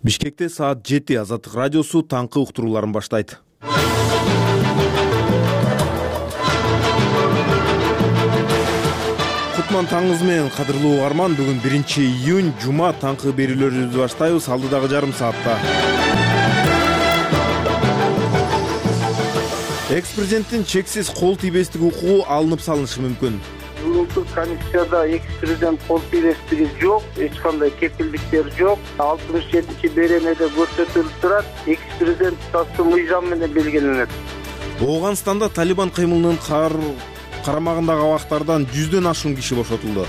Бишкекте саат 7 Азаттык радиосу таңкы уктурууларын баштайт. Кутман таңыңыз менен, кадырлуу угарман. Бүгүн 1-июнь жума, таңкы берүүлөрүбүздү баштайбыз. Алдыдагы жарым саатта экс-президенттин чексиз кол тийбестик укугу алынып салынышы мүмкүн. Бүгүнкү комиссияда экс-президент кол тийбестиги жок, эч кандай кепилдиктер жок. 67-чи беренеде көрсөтүлүп турат. Экс-президент туташтуу мыйзам менен белгиленет. Ооганстанда Талибан кыймылынын карамагындагы абактардан 100дөн ашуун киши бошотулду.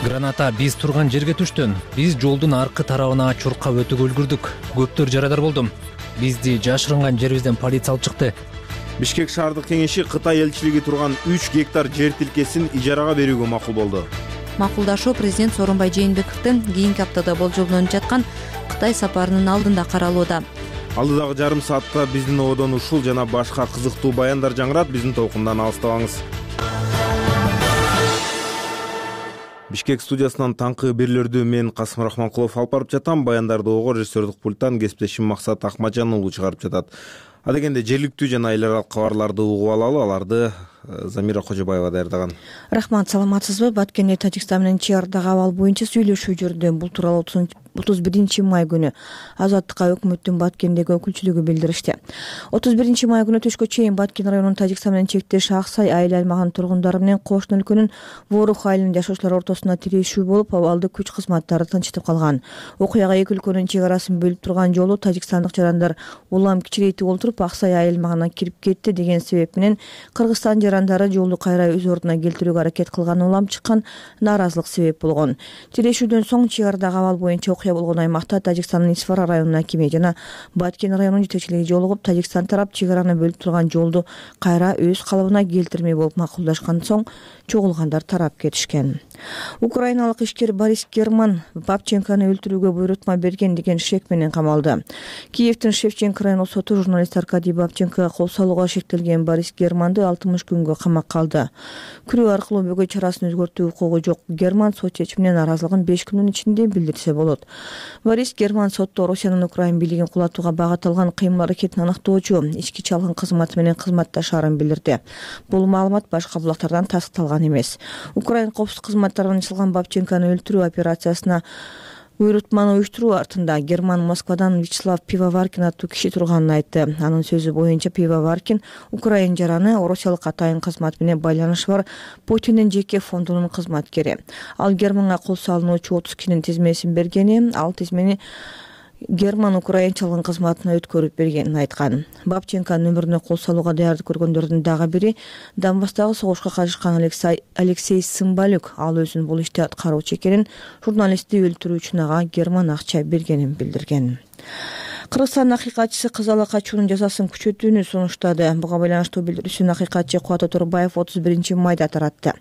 Граната биз турган жерге түштү. Биз жолдун аркы тарабына чуркап өтүүгө үлгүрдүк. Көптөр жарадар болду. Бизди жашырынган жерибизден полиция алып чыкты. Бишкек шаардык кеңеши Кытай элчилиги турган 3 гектар жер тилкесин ижарага берүүгө макул болду. Макулдашуу президент Сооронбай Жээнбековдун кийинки аптада болжолдонуп жаткан Кытай сапарынын алдында каралууда. Алдыдагы жарым саатта биздин ободон ушул жана башка кызыктуу баяндар жаңырат. Биздин толкундан алыстабаңыз. Бишкек студиясынан таңкы берүүлөрдү мен Касым Рахманкулов алып барып жатам. Баяндарды ого режиссердик пульттан кесиптешим Максат Акмаджан уулу чыгарып жатат. Адегенде жергиликтүү жана эл аралык кабарларды угуп алалы. Аларды Замира Кожобаева даярдаган. Рахмат, саламатсызбы? Баткенде Тажикстан менен чек-арадагы абал боюнча сүйлөшүү жүрдү. Бул тууралуу 31-май күнү Азаттыкка өкмөттүн Баткендеги өкүлчүлүгү билдиришти. 31-май күнү түшкө чейин Баткен районунун Тажикстан менен чектеш Аксай айыл аймагынын тургундары менен кошуна өлкөнүн Ворух айылынын жашоочулары ортосунда тирешүү болуп, абалды күч кызматтары тынчтып калган. Окуяга эки өлкөнүн чек арасын бөлүп турган жолу тажикстандык жарандар улам кичирейтип олтуруп Аксай айыл аймагына кирип кетти деген себеп менен Кыргызстан жарандары жолду кайра өз ордуна келтирүүгө аракет кылган, улам чыккан нааразылык себеп болгон. Тирешүүдөн соң чек арадагы абал боюнча окуя болгон аймакта Тажикстандын Исфара районунун акими жана Баткен районунун жетекчилиги жолугуп, Тажикстан тарап чек араны бөлүп турган жолду кайра өз калыбына келтирмей болуп макулдашкан соң чогулгандар тарап кетишкен. Украиналык ишкер Борис Герман Бабченкону өлтүрүүгө буйрутма берген деген шек менен камалды. Киевдин Шевченко району соту журналист Аркадий Бабченкого кол салууга шектелген Борис Германды 60 күнгө камакка алды. Күрөө аркылуу бөгөй чарасын өзгөртүү укугу жок Герман сот чечимине нааразылыгын 5 күнүн ичинде билдирсе болот. Борис Герман сотто Россиянын Украин бийлигин кулатууга багыт алган кыймыл аракетин аныктоочу ички чалгын кызматы менен кызматташаарын билдирди. Бул маалымат башка булактардан тастыкталган эмес. Украин коопсуздук кызматтарынан ачылган Бабченкону өлтүрүү операциясына буйрутманы уюштуруу артында Герман Москвадан Вячеслав Пивоваркин аттуу киши турганын айтты. Анын сөзү боюнча Пивоваркин Украин жараны Россиялык атайын кызмат менен байланышы бар Путиндин жеке фондунун кызматкери. Ал Германга кол салынуучу 30 кишинин тизмесин бергени, ал тизмени Герман Украин чалгын кызматына өткөрүп бергенин айткан. Бабченконун өмүрүнө кол салууга даярдык көргөндөрдүн дагы бири Донбасстагы согушка катышкан Алексей Сымбалюк. Ал өзүнүн бул ишти аткаруучу экенин, журналистти өлтүрүү үчүн ага Герман акча бергенин билдирген. Кыргызстандын акыйкатчысы Кызала качуунун жазасын күчөтүүнү сунуштады. Буга байланыштуу билдирүүсүн акыйкатчы Кубат Оторбаев 31-майда таратты.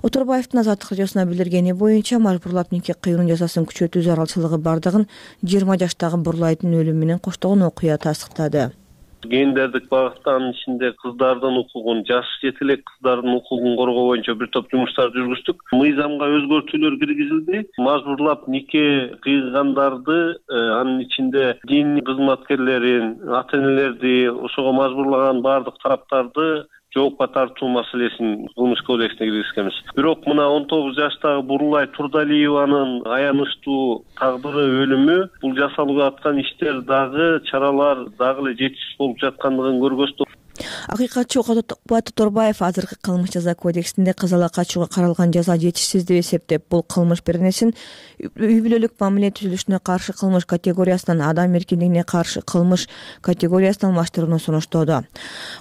Оторбаевдин Азаттык радиосуна билдиргени боюнча, мажбурлап нике кыюунун жазасын күчөтүү зарылчылыгы бардыгын 20 жаштагы Бурлайдын өлүмү менен коштогон окуя тастыктады. Гендердик багыттын ичинде кыздардын укугун, жаш жете элек кыздардын укугун коргоо боюнча бир топ жумуштар жүргүздүк. Мыйзамга өзгөртүүлөр киргизилди. Мажбурлап нике кыйгандарды, анын ичинде дин кызматкерлерин, ата-энелерди, ошого мажбурлаган бардык тараптарды жоопко тартуу маселесин кылмыш кодексине киргизгенбиз. Бирок мына 19 жаштагы Бурлай Турдалиеванын аянычтуу тагдыры, өлүмү, бул жасалып аткан иштер дагы, чаралар дагы эле жетишсиз болуп жаткандыгын көргөзтү. Акыйкатчы Кубат Оторбаев азыркы кылмыш жаза кодексинде Кызала качууга каралган жаза жетишсиз деп эсептеп, бул кылмыш беренесин үй бүлөлүк мамиле түзүлүшүнө каршы кылмыш категориясынан адам эркиндигине каршы кылмыш категориясына алмаштырууну сунуштоодо.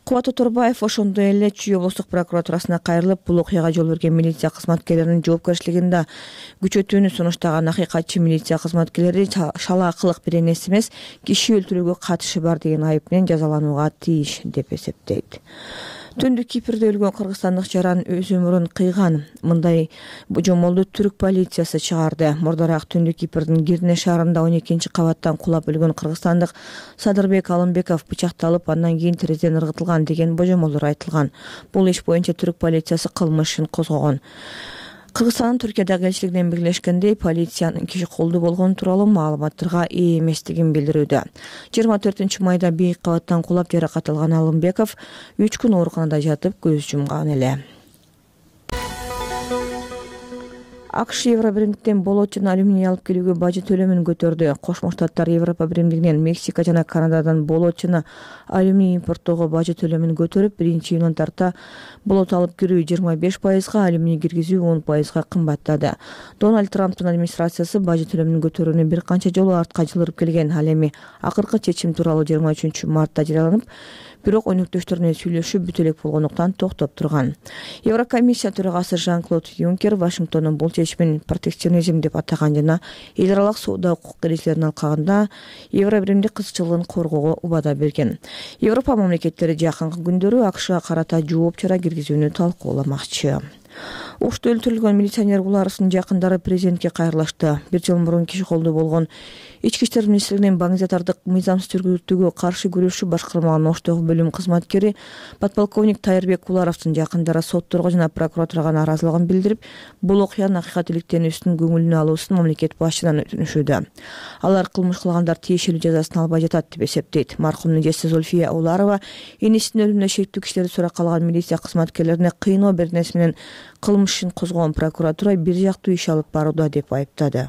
Кубат Оторбаев ошондой эле Чүй облустук прокуратурасына кайрылып, бул окуяга жол берген милиция кызматкерлеринин жоопкерчилигин да күчөтүүнү сунуштаган. Акыйкатчы милиция кызматкерлери шалаакылык беренеси эмес, киши өлтүрүүгө катышы бар деген айып менен жазаланууга тийиш деп эсептейт. Түндүк Кипрде өлгөн кыргызстандык жаран өз өмүрүн кыйган. Мындай божомолду түрк полициясы чыгарды. Мурдараак Түндүк Кипрдин Гирне шаарында 12 кабаттан кулап өлгөн кыргызстандык Садырбек Алымбеков бычакталып, андан кийин терезеден ыргытылган деген божомолдор айтылган. Бул иш боюнча түрк полициясы кылмыш ишин козгогон. Кыргызстандын Түркиядагы элчилигинен белгилешкендей, полициянын киши колдуу болгону тууралуу маалыматтарга ээ эместигин билдирүүдө. 24-майда бийик кабаттан кулап жаракат алган Алымбеков 3 күн ооруканада жатып көз жумган эле. АКШ Евро биримдиктен болот жана алюминий алып келүүгө бажы төлөмүн көтөрдү. Кошмо Штаттар Европа биримдигинен Мексика жана Канададан болот жана алюминий импорттоого бажы төлөмүн көтөрүп, 1-июндан тарта болот алып кирүү 25%, алюминий киргизүү 10% кымбаттады. Дональд Трамптын администрациясы бажы төлөмүн көтөрүүнү бир канча жолу артка жылдырып келген. Ал эми акыркы чечим тууралуу 23-мартта жарыяланып, бирок өнөктөштөрүнө сүйлөшүү бүтө элек болгондуктан токтоп турган. Еврокомиссия төрагасы Жан-Клод Юнкер Вашингтондун бул чечимин протекционизм деп атаган жана эл аралык соода укук эрежелерин алкагында евро биримдик кызыкчылыгын коргоого убада берген. Европа мамлекеттери жакынкы күндөрү АКШга карата жооп чара киргизүүнү талкууламакчы. Ошто өлтүрүлгөн милиционер Гуларовдун жакындары президентке кайрылышты. 1 жыл мурун киши колдуу болгон Ички иштер министрлигинин баңзатардык мыйзамсыз жүргүзүүгө каршы күрөшүү башкармалыгынын Оштогу бөлүм кызматкери подполковник Тайырбек Гуларовдун жакындары сотторго жана прокуратурага нааразылыгын билдирип, бул окуянын акыйкаттүүлүктенүүсүн көңүлүнө алуусун мамлекет башчысынан өтүнүшүүдө. Алар кылмыш кылгандар тиешелүү жазасын албай жатат деп эсептейт. Маркумдун эжеси Зульфия Уларова энесинин өлүмүнө шектүү кишилерди суракка калган милиция кызматкерлерине кыйноо беренеси менен кылмыш ишин козгогон прокуратура бир жактуу иш алып барууда деп айыптады.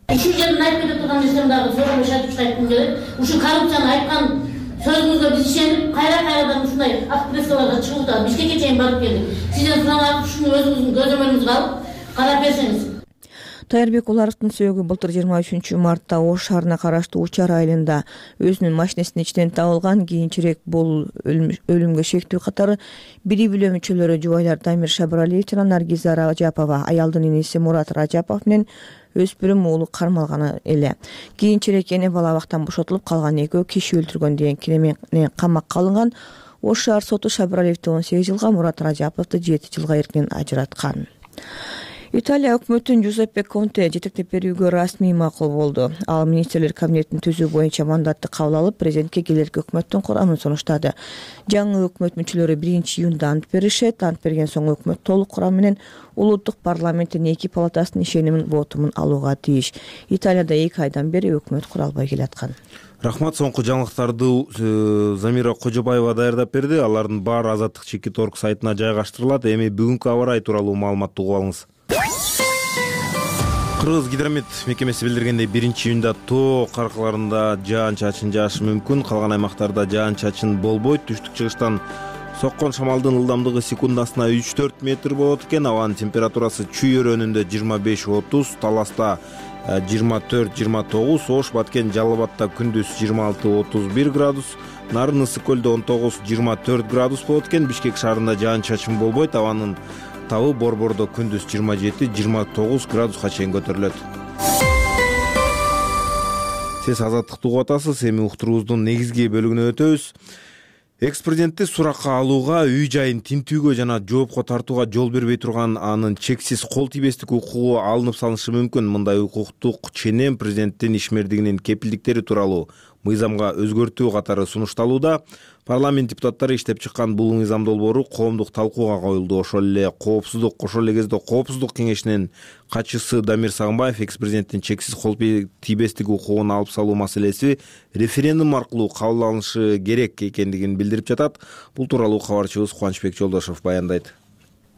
Ушул жерден айтып кетип турган нерсем дагы сорун шатып айткым келет. Ушул коррупцияны айткан сөзүңүзгө биз ишенип, кайрадан ушундай акпрессияларга чыгып да Бишкекке чейин барып келдик. Сизден сурап, ушуну өзүңүздүн көзөмөлүңүзгө алып, карап берсеңиз. Тайырбек Уларовдун сөөгү былтыр 23-мартта Ош шаарына караштуу Учар айылында өзүнүн машинесинин ичинен табылган. Кийинчерээк бул өлүмгө шектүү катары бири-билөө мүчөлөрү жубайлар Дамир Шабыралиев жана Наргиза Ражапова, аялдын инеси Мурат Ражапов менен өспүрүм уулу кармалган эле. Кийинчерээк эне бала абактан бошотулуп, калган экөө киши өлтүргөн деген кире менен камакка алынган. Ош шаар соту Шабыралиевди 18 жылга, Мурат Ражаповду 7 жылга эркинен ажыраткан. Италия өкмөтүн Жузеппе Конте жетектеп берүүгө расмий макул болду. Ал министрлер кабинетин түзүү боюнча мандатты кабыл алып, президентке келерки өкмөттүн курамын сунуштады. Жаңы өкмөт мүчөлөрү 1-июнда ант беришет. Ант берген соң өкмөт толук курам менен улуттук парламенттин 2 палатасынын ишенимин вотумун алууга тийиш. Италияда 2 айдан бери өкмөт куралбай келаткан. Рахмат. Соңку жаңылыктарды Замира Кожобаева даярдап берди. Алардын баары Азаттык Чекит.org сайтына жайгаштырылат. Эми бүгүнкү аба ырайы тууралуу маалыматты угуп алыңыз. Кыргыз гидромет мекемеси билдиргендей, 1-июнда тоо каркаларында жаан-чачын жаашы мүмкүн. Калган аймактарда жаан-чачын болбойт. Түштүк-чыгыштан соккон шамалдын ылдамдыгы секундасына 3-4 метр болот экен. Абанын температурасы Чүй өрөөнүндө 25-30, Таласта 24-29, Ош, Баткен, Жалал Абадта күндүз 26-31 градус, Нарын Ысык көлдө 19-24 градус болот экен. Бишкек шаарында жаан-чачын болбойт. Абанын табы Борбордо күндүз 27-29 градуска чейин көтөрүлөт. Сиз Азаттыкты угуп атасыз. Эми уктуруубуздун негизги бөлүгүнө өтөбүз. Экс-президентти суракка алууга, үй жайын тинтүүгө жана жоопко тартууга жол бербей турган анын чексиз кол тийбестик укугу алынып салышы мүмкүн. Мындай укуктук ченем президенттин ишмердигинин кепилдиктери тууралуу мыйзамга өзгөртүү катары сунушталууда. Парламент депутаттары иштеп чыккан бул мыйзам долбоору коомдук талкууга коюлду. Ошол эле кезде Коопсуздук кеңешинин катчысы Дамир Сагынбаев экс-президенттин чексиз кол тийбестик укугун алып салуу маселеси референдум аркылуу кабыл алынышы керек экендигин билдирип жатат. Бул тууралуу кабарчыбыз Кубанычбек Жолдошов баяндайт.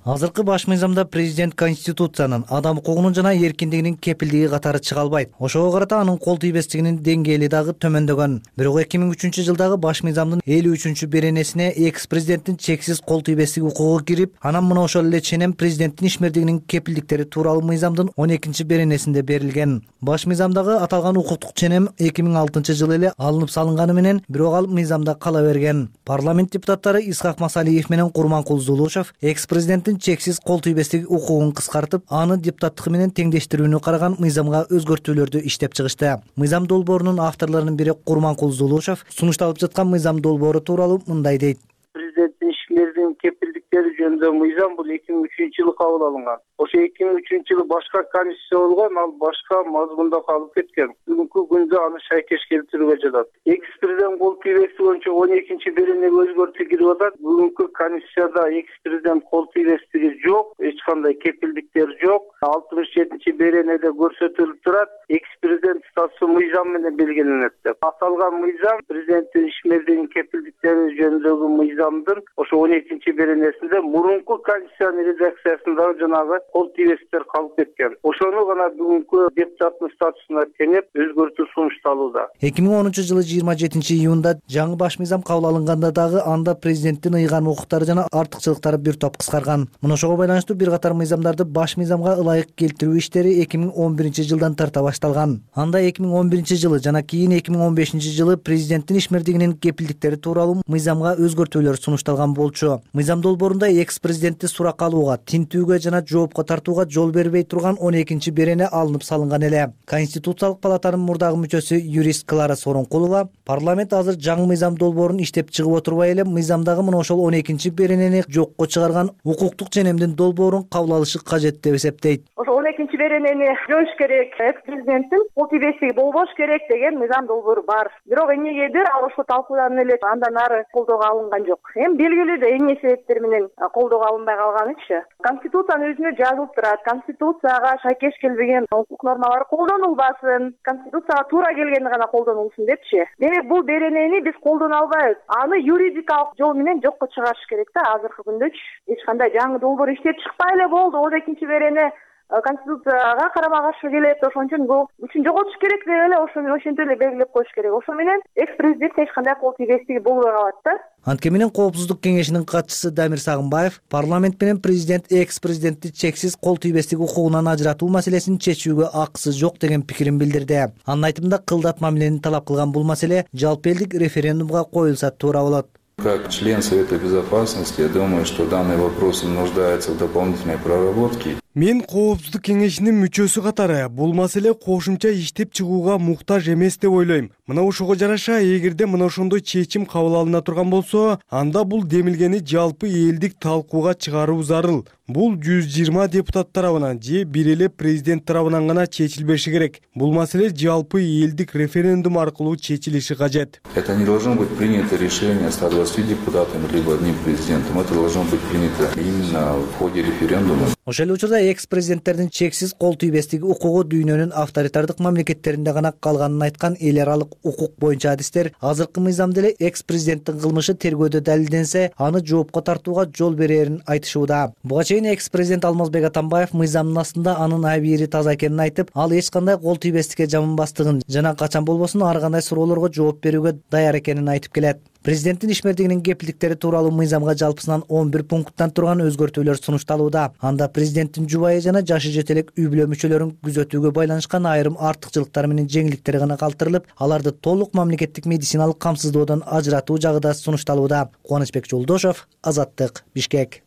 Азыркы баш мыйзамда президент Конституциянын адам укугунун жана эркиндигинин кепилдиги катары чыга албайт. Ошого карата анын кол тийбестигинин деңгээли дагы төмөндөгөн. Бирок 2003 жылдагы баш мыйзамдын 53 беренесине экс-президенттин чексиз кол тийбестик укугу кирип, анан мына ошол эле ченем президенттин ишмердигинин кепилдиктери тууралуу мыйзамдын 12 беренесинде берилген. Баш мыйзамдагы аталган укуктук ченем 2006 жылы эле алынып салынганы менен, бирок ал мыйзамда кала берген. Парламент депутаттары Исхак Масалиев менен Курманкул Зулушев экс-президенттин чексиз кол тийбестик укугун кыскартып, аны депутаттыгы менен теңдештирүүнү караган мыйзамга өзгөртүүлөрдү иштеп чыгышты. Мыйзам долбоорунун авторлорунун бири Курманкул Зулушев сунушталып жаткан мыйзам долбоору тууралуу мындай дейт. Президенттин ишмердигинин кепилдик кепилдиктери жөнүндө мыйзам бул 2003-жылы кабыл алынган. Ошо 2003-жылы башка конституция болгон, ал башка мазмунда калып кеткен. Бүгүнкү күндө аны шайкеш келтирүүгө жатат. Экс-президент кол тийбестиги боюнча 12-беренеге өзгөртүү кирип атат. Бүгүнкү конституцияда экс-президент кол тийбестиги жок, эч кандай кепилдиктер жок. 67-беренеде көрсөтүлүп турат. Экс-президент статусу мыйзам менен белгиленет деп. Аталган мыйзам президенттин ишмердигинин кепилдиктери жөнүндөгү мыйзамдын ошо 12-беренесинде мурунку конституциянын редакциясында жанагы кол тийбестиктер калып кеткен. Ошону гана бүгүнкү депутаттын статусуна теңеп өзгөртүү сунушталууда. 2010-жылы 27-июнда жаңы баш мыйзам кабыл алынганда дагы анда президенттин ыйган укуктары жана артыкчылыктары бир топ кыскарган. Мына ошого байланыштуу бир катар мыйзамдарды баш мыйзамга ылайык келтирүү иштери 2011-жылдан тарта башталган. Анда 2011-жылы жана кийин 2015-жылы президенттин ишмердигинин кепилдиктери тууралуу мыйзамга өзгөртүүлөр сунушталган болчу. Мыйзам долбоорунда экс-президентти суракка алууга, тинтүүгө жана жоопко тартууга жол бербей турган 12-берене алынып салынган эле. Конституциялык палатанын мурдагы мүчөсү юрист Клара Сооронкулова парламент азыр жаңы мыйзам долбоорун иштеп чыгып отурбай эле мыйзамдагы мына ошол 12-беренени жокко чыгарган укуктук ченемдин долбоорун кабыл алышы кажет деп эсептейт. Ошо 12-беренени жоюш керек, экс-президенттин кол тийбестиги болбош керек деген мыйзам долбоору бар. Бирок эмнегедир ал ошо талкууланып эле андан ары колдоого алынган жок. Эми белгилүү да эмне себептер менен колдоого алынбай калганычы. Конституциянын өзүнө жазылып турат. Конституцияга шайкеш келбеген укук нормалары колдонулбасын, Конституцияга туура келгени гана колдонулсун депчи. Демек бул беренени биз колдоно албайбыз. Аны юридикалык жол менен жокко чыгарыш керек да азыркы күндөчү. Эч кандай жаңы долбоор иштеп чыкпай эле болду. 12-берене Конституцияга карама каршы келет, ошон үчүн бул күчүн жоготуш керек деп эле ошентип эле белгилеп коюш керек. Ошо менен экс-президент эч кандай кол тийбестиги болбой калат да. Анткени менен Коопсуздук кеңешинин катчысы Дамир Сагынбаев парламент менен президент экс-президентти чексиз кол тийбестик укугунан ажыратуу маселесин чечүүгө акысы жок деген пикирин билдирди. Анын айтымында кылдат мамилени талап кылган бул маселе жалпы элдик референдумга коюлса туура болот. Как член Совета Безопасности, я думаю, что данный вопрос нуждается в дополнительной проработке. Мен Коопсуздук кеңешинин мүчөсү катары бул маселе кошумча иштеп чыгууга муктаж эмес деп ойлойм. Мына ошого жараша эгерде мына ошондой чечим кабыл алына турган болсо, анда бул демилгени жалпы элдик талкууга чыгаруу зарыл. Бул 120 депутат тарабынан же бир эле президент тарабынан гана чечилбеши керек. Бул маселе жалпы элдик референдум аркылуу чечилиши кажет. Это не должно быть принято решение 120 депутатами либо одним президентом. Это должно быть принято именно в ходе референдума. Ошол эле учурда экс-президенттердин чексиз кол тийбестиги укугу дүйнөнүн авторитардык мамлекеттеринде гана калганын айткан эл аралык укук боюнча адистер азыркы мыйзамда эле экс-президенттин кылмышы тергөөдө далилденсе, аны жоопко тартууга жол берерин айтышууда. Буга чейин экс-президент Алмазбек Атамбаев мыйзамдын астында анын абийири таза экенин айтып, ал эч кандай кол тийбестикке жаманбастыгын жана качан болбосун ар кандай суроолорго жооп берүүгө даяр экенин айтып келет. Президенттин ишмердигинин кепилдиктери тууралуу мыйзамга жалпысынан 11 пункттан турган өзгөртүүлөр сунушталууда. Анда президенттин жубайы жана жашы жете элек үй бүлө мүчөлөрүн күзөтүүгө байланышкан айрым артыкчылыктар менен жеңилдиктер гана калтырылып, аларды толук мамлекеттик медициналык камсыздоодон ажыратуу жагы да сунушталууда. Кубанычбек Жолдошов, Азаттык, Бишкек.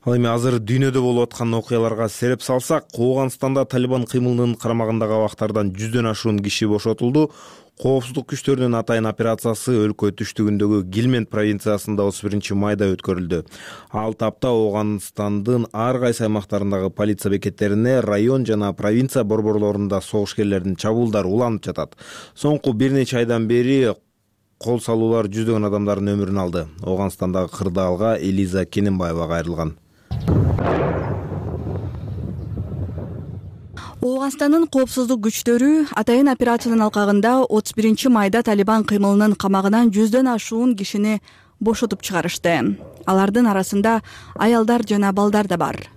Ал эми азыр дүйнөдө болуп аткан окуяларга сереп салсак, Ооганстанда Талибан кыймылынын карамагындагы абактардан 100дөн ашуун киши бошотулду. Коопсуздук күчтөрүнүн атайын операциясы өлкө түштүгүндөгү Гилмент провинциясында 31-майда өткөрүлдү. Ал тапта Ооганстандын ар кайсы аймактарындагы полиция бекеттерине, район жана провинция борборлорунда согушкерлердин чабуулдары уланып жатат. Соңку бир нече айдан бери кол салуулар 100дөгөн адамдардын өмүрүн алды. Ооганстандагы кырдаалга Элиза Кененбаева кайрылган. Ооганстандын коопсуздук күчтөрү атайын операциянын алкагында 31-майда Талибан кыймылынын камагынан 100дөн ашуун кишини бошотуп чыгарышты. Алардын арасында аялдар жана балдар да бар.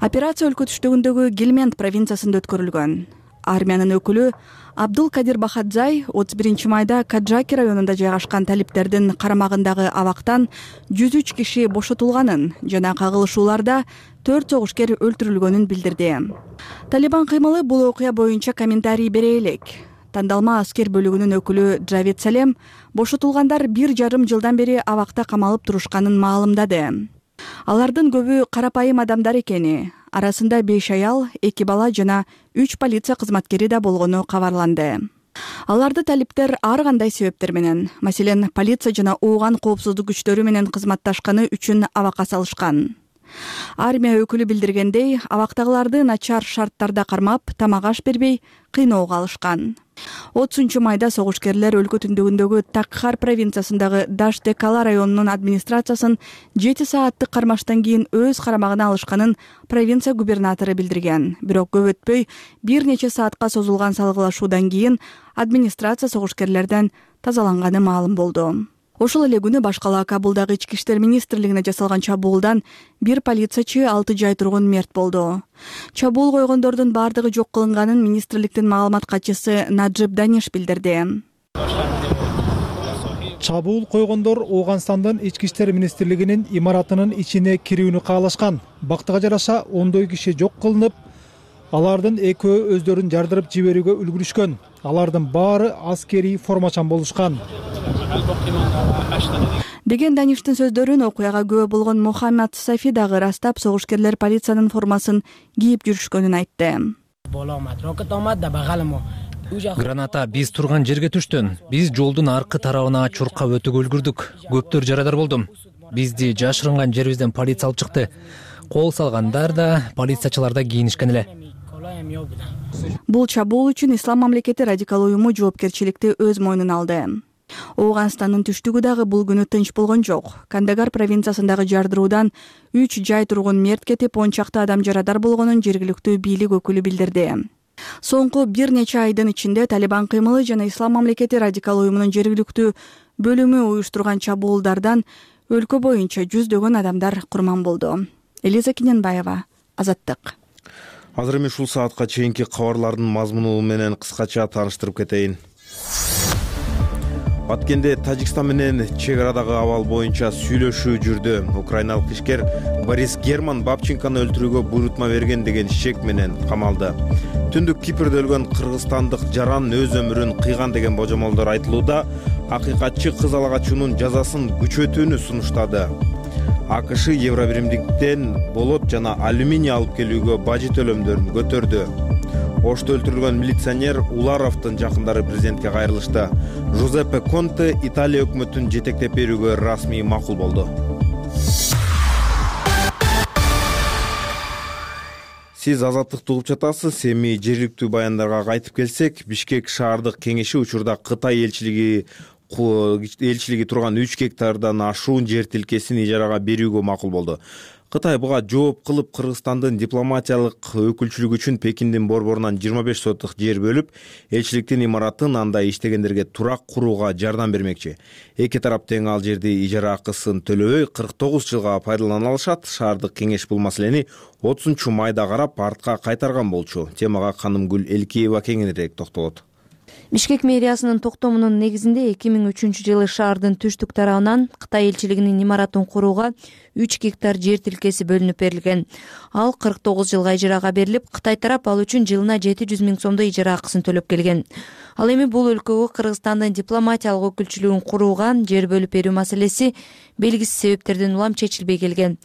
Операция өлкө түштүгүндөгү Гилмент провинциясында өткөрүлгөн. Армиянын өкүлү Абдул Кадир Бахадзай 31-майда Каджаки районунда жайгашкан талиптердин карамагындагы абактан 103 киши бошотулганын жана кагылышууларда 4 согушкер өлтүрүлгөнүн билдирди. Талибан кыймылы бул окуя боюнча комментарий бере элек. Тандалма аскер бөлүгүнүн өкүлү Джавид Салем бошотулгандар 1,5 жылдан бери абакта камалып турушканын маалымдады. Алардын көбү карапайым адамдар экени, арасында 5 аял, 2 бала жана 3 полиция кызматкери да болгону кабарланды. Аларды талиптер ар кандай себептер менен, маселен, полиция жана ооган коопсуздук күчтөрү менен кызматташканы үчүн абакка салышкан. Армия өкүлү билдиргендей, абактагыларды начар шарттарда кармап, тамак аш бербей, кыйноого алышкан. 30-майда согушкерлер өлкө түндүгүндөгү Такхар провинциясындагы Даштекала районунун администрациясын 7 сааттык кармаштан кийин өз карамагына алышканын провинция губернатору билдирген. Бирок көп өтпөй, бир нече саатка созулган салгылашуудан кийин администрация согушкерлерден тазаланганы маалым болду. Ошол эле күнү башкала Кабулдагы Ички иштер министрлигине жасалган чабуулдан бир полициячы 6 жай тургун мерт болду. Чабуул койгондордун бардыгы жок кылынганын министрликтин маалымат катчысы Наджиб Даниш билдирди. Чабуул койгондор Ооганстандын Ички иштер министрлигинин имаратынын ичине кирүүнү каалашкан. Бактыга жараша ондой киши жок кылынып, алардын экөө өздөрүн жардырып жиберүүгө үлгүрүшкөн. Алардын баары аскерий формачан болушкан. Деген Даништин сөздөрүн окуяга күбө болгон Мухаммад Сафи дагы ырастап, согушкерлер полициянын формасын кийип жүрүшкөнүн айтты. Граната биз турган жерге түштү. Биз жолдун аркы тарабына чуркап өтүүгө үлгүрдүк. Көптөр жарадар болду. Бизди жашырынган жерибизден полиция алып чыкты. Кол салгандар да, полициячылар да кийинишкен эле. Бул чабуул үчүн Ислам мамлекети радикал уюму жоопкерчиликти өз мойнуна алды. Ооганстандын түштүгү дагы бул күнү тынч болгон жок. Кандагар провинциясындагы жардыруудан 3 жай тургун мерт кетип, 10 чакты адам жарадар болгонун жергиликтүү бийлик өкүлү билдирди. Соңку бир нече айдын ичинде Талибан кыймылы жана Ислам мамлекети радикал уюмунун жергиликтүү бөлүмү уюштурган чабуулдардан өлкө боюнча жүздөгөн адамдар курман болду. Элиза Киненбаева, Азаттык. Азыр эми ушул саатка чейинки кабарлардын мазмуну менен кыскача тааныштырып кетейин. Баткенде Тажикстан менен чек арадагы абал боюнча сүйлөшүү жүрдү. Украиналык ишкер Борис Герман Бабченканы өлтүрүүгө буйрутма берген деген шек менен камалды. Түндүк Кипрде өлгөн кыргызстандык жаран өз өмүрүн кыйган деген божомолдор айтылууда. Акыйкатчы кыз ала качуунун жазасын күчөтүүнү сунуштады. АКШ Евробиримдиктен болот жана алюминий алып келүүгө бажы төлөмдөрүн көтөрдү. Ошто өлтүрүлгөн милиционер Уларовдун жакындары президентке кайрылышты. Жузеппе Конте Италия өкмөтүн жетектеп берүүгө расмий макул болду. Сиз Азаттыкты угуп жатасыз. Эми жергиликтүү баяндарга кайтып келсек, Бишкек шаардык кеңеши учурда Кытай элчилиги турган 3 гектардан ашуун жер тилкесин ижарага берүүгө макул болду. Кытай буга жооп кылып Кыргызстандын дипломатиялык өкүлчүлүгү үчүн Пекиндин борборунан 25 сотук жер бөлүп, элчиликтин имаратын анда иштегендерге турак курууга жардам бермекчи. Эки тарап тең ал жерди ижара акысын төлөбөй 49 жылга пайдалана алышат. Шаардык кеңеш бул маселени 30-майда карап артка кайтарган болчу. Темага Канымгүл Элкеева кеңирээк токтолот. Бишкек мэриясынын токтомунун негизинде 2003-жылы шаардын түштүк тарабынан Кытай элчилигинин имаратын курууга 3 гектар жер тилкеси бөлүнүп берилген. Ал 49 жылга ижарага берилип, Кытай тарап ал үчүн жылына 700 000 сомдой ижара акысын төлөп келген. Ал эми бул өлкөгө Кыргызстандын дипломатиялык өкүлчүлүгүн курууга жер бөлүп берүү маселеси белгисиз себептерден улам чечилбей келген.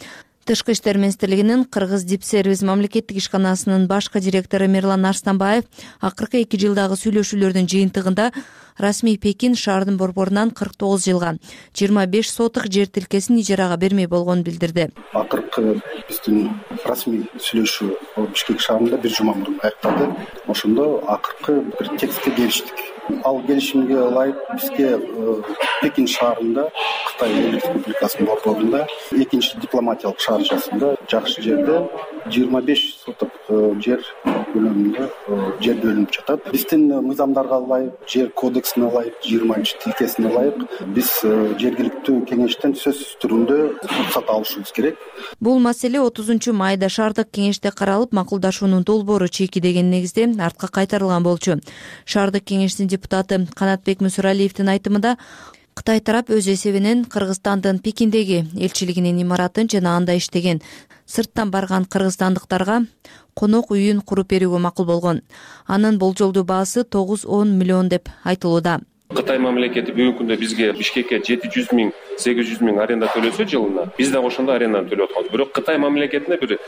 Тышкы иштер министрлигинин Кыргыз Дипсервис мамлекеттик ишканасынын башкы директору Мирлан Арстанбаев акыркы 2 жылдагы сүйлөшүүлөрдүн жыйынтыгында расмий Пекин шаардын борборунан 49 жылга 25 сотук жер тилкесин ижарага бермей болгонун билдирди. Акыркы биздин расмий сүйлөшүү Бишкек шаарында бир жума мурун аякталды. Ошондо акыркы бир текстке келиштик. Ал келишимге ылайык бизге Пекин шаарында, Кытай Республикасынын борборунда, экинчи дипломатиялык шаарчасында жакшы жерде 25 сотук жер көлөмүндө жер бөлүнүп жатат. Биздин мыйзамдарга ылайык, жер кодексине ылайык, 20 тилкесине ылайык биз жергиликтүү кеңештен сөзсүз түрүндө уруксат алышыбыз керек. Бул маселе 30-майда шаардык кеңеште каралып, макулдашуунун долбоору чеки деген негизде артка кайтарылган болчу. Шаардык кеңештин депутаты Канатбек Мусуралиевдин айтымында, Кытай тарап өз эсебинен Кыргызстандын Пекиндеги элчилигинин имаратын жана анда иштеген сырттан барган кыргызстандыктарга конок үйүн куруп берүүгө макул болгон. Анын болжолдуу баасы 9-10 миллион деп айтылууда. Кытай мамлекети бүгүнкү күндө бизге Бишкекке 700 000 800 миң аренда төлөсө жылына, биз дагы ошондой аренданы төлөп атканбыз. Бирок Кытай мамлекетинде бир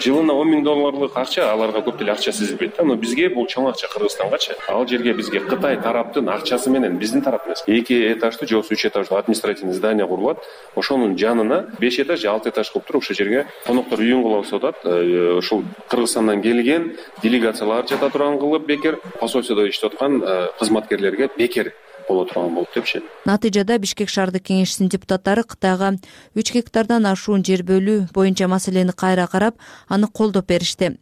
жылына 10 миң долларлык акча, аларга көп деле акча сезилбейт да. Но бизге бул чоң акча Кыргызстангачы. Ал жерге бизге Кытай тараптын акчасы менен биздин тарап эмес, 2 этаждуу же 3 этаждуу административный здание курулат. Ошонун жанына 5 этаж же 6 этаж кылып туруп ошол жерге коноктор үйүн кылып атат. Ушул Кыргызстандан келген делегациялар жата турган кылып бекер, посольстводо иштеп аткан кызматкерлерге бекер боло турган болуп депчи. Натыйжада Бишкек шаардык кеңешинин депутаттары Кытайга 3 гектардан ашуун жер бөлүү боюнча маселени кайра карап, аны колдоп беришти.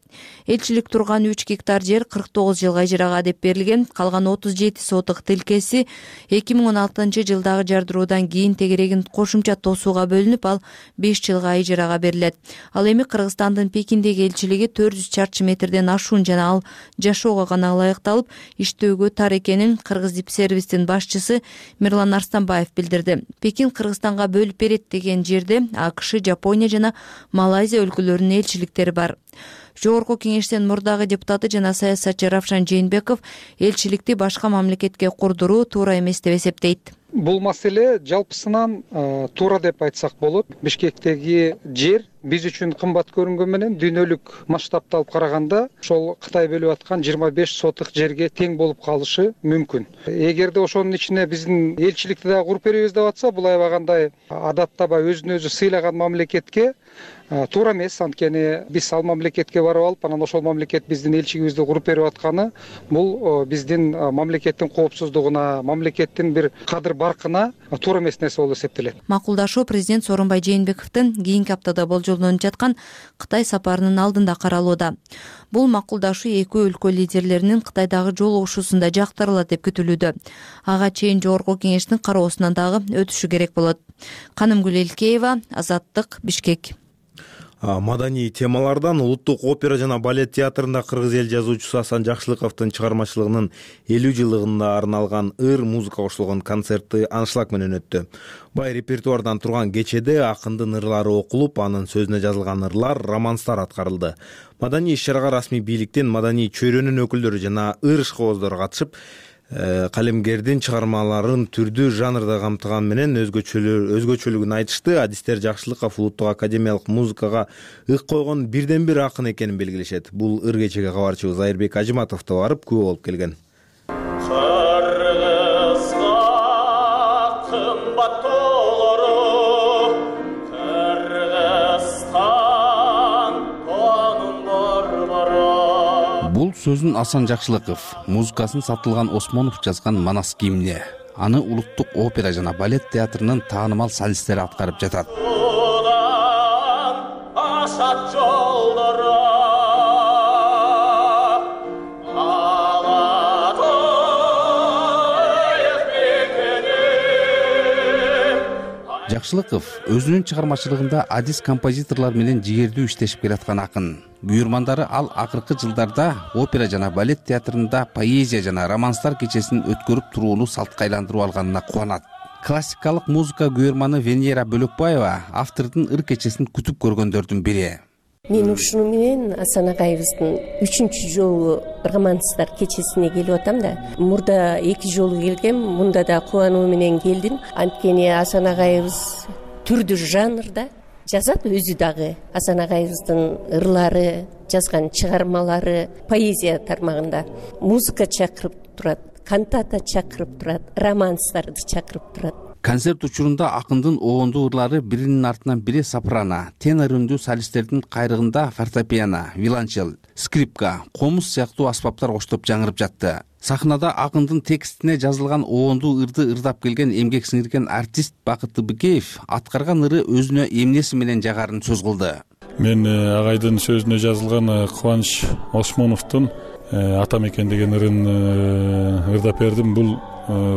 Элчилик турган 3 гектар жер 49 жылга ижарага деп берилген, калган 37 сотук тилкеси 2016-жылдагы жардыруудан кийин тегерегин кошумча тосууга бөлүнүп, ал 5 жылга ижарага берилет. Ал эми Кыргызстандын Пекиндеги элчилиги 400 чарчы метрден ашуун жана ал жашоого гана ылайыкталып, иштөөгө тар экенин Кыргыздипсервистин башчысы Мирлан Арстанбаев билдирди. Пекин Кыргызстанга бөлүп берет деген жерде АКШ, Жапония жана Малайзия өлкөлөрүнүн элчиликтери бар. Жогорку кеңештин мурдагы депутаты жана саясатчы Равшан Жээнбеков элчиликти башка мамлекетке курдуруу туура эмес деп эсептейт. Бул маселе жалпысынан туура деп айтсак болот. Бишкектеги жер биз үчүн кымбат көрүнгөн менен дүйнөлүк масштабта алып караганда ошол Кытай бөлүп аткан 25 сотук жерге тең болуп калышы мүмкүн. Эгерде ошонун ичине биздин элчиликти дагы куруп беребиз деп атса, бул аябагандай адаттабай өзүн өзү сыйлаган мамлекетке туура эмес. Анткени биз ал мамлекетке барып алып, анан ошол мамлекет биздин элчигибизди куруп берип атканы бул биздин мамлекеттин коопсуздугуна, мамлекеттин бир кадыр баркына туура эмес нерсе болуп эсептелет. Макулдашуу президент Сооронбай Жээнбековдун кийинки аптада болжолдонуп жаткан Кытай сапарынын алдында каралууда. Бул макулдашуу эки өлкө лидерлеринин Кытайдагы жолугушуусунда жактырылат деп күтүлүүдө. Ага чейин жогорку кеңештин кароосунан дагы өтүшү керек болот. Канымгүл Элкеева, Азаттык, Бишкек. Маданий темалардан Улуттук опера жана балет театрында кыргыз эл жазуучусу Асан Жакшылыковдун чыгармачылыгынын 50 жылдыгына арналган ыр музыка кошулган концерти аншлаг менен өттү. Бай репертуардан турган кечеде акындын ырлары окулуп, анын сөзүнө жазылган ырлар, романстар аткарылды. Маданий иш-чарага расмий бийликтен маданий чөйрөнүн өкүлдөрү жана ыр ишкобоздору катышып, калемгердин чыгармаларын түрдүү жанрда камтыган менен өзгөчөлүгүн айтышты. Адистер Жакшылыков улуттук академиялык музыкага ык койгон бирден бир акын экенин белгилешет. Бул ыр кечеге кабарчыбыз Айырбек Ажыматов да барып күбө болуп келген. Бул сөзүн Асан Жакшылыков, музыкасын Сатылган Осмонов жазган Манас гимни. Аны Улуттук опера жана балет театрынын таанымал солисттери аткарып жатат. Жакшылыков өзүнүн чыгармачылыгында адис композиторлор менен жигердүү иштешип келаткан акын. Буйрмандары ал акыркы жылдарда опера жана балет театрында поэзия жана романстар кечесин өткөрүп турууну салтка айландырып алганына кубанат. Классикалык музыка күйөрманы Венера Бөлөкбаева автордун ыр кечесин күтүп көргөндөрдүн бири. Мен ушуну менен Асан агайыбыздын 3-чү жолу романстар кечесине келип атам да. Мурда 2 жолу келгем, мында да кубануу менен келдим. Анткени Асан агайыбыз түрдүү жанрда жазат, өзү дагы Асан агайыбыздын ырлары, жазган чыгармалары поэзия тармагында музыка чакырып турат, кантата чакырып турат, романстарды чакырып турат. Концерт учурунда акындын оондуу ырлары биринин артынан бири сопрано, тенор үндүү солисттердин кайрыгында фортепиано, виолончел, скрипка, комуз сыяктуу аспаптар коштоп жаңырып жатты. Сахнада акындын текстине жазылган оондуу ырды ырдап келген эмгек сиңирген артист Бакыт Быкеев аткарган ыры өзүнө эмнеси менен жагарын сөз кылды. Мен агайдын сөзүнө жазылган Кубаныч Осмоновдун Ата мекен деген ырын ырдап бердим. Бул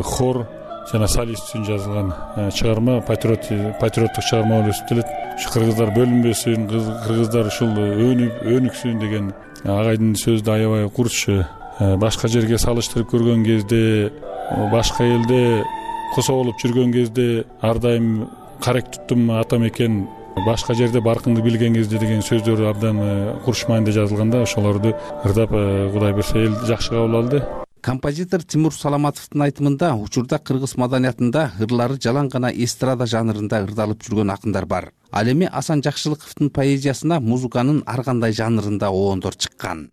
хор жана солист үчүн жазылган чыгарма, патриоттук чыгарма болуп эсептелет. Ушу кыргыздар бөлүнбөсүн, кыргыздар ушул өнүксүн деген агайдын сөзү аябай курч. Башка жерге салыштырып көргөн кезде, башка элде косо болуп жүргөн кезде ар дайым карек туттум ата мекен, башка жерде баркыңды билген кезде деген сөздөр абдан курч мааниде жазылганда, ошолорду ырдап Кудай берсе эл жакшы кабыл алды. Композитор Тимур Саламатовдун айтымында учурда кыргыз маданиятында ырлары жалаң гана эстрада жанрында ырдалып жүргөн акындар бар. Ал эми Асан Жакшылыковдун поэзиясына музыканын ар кандай жанрында оондор чыккан.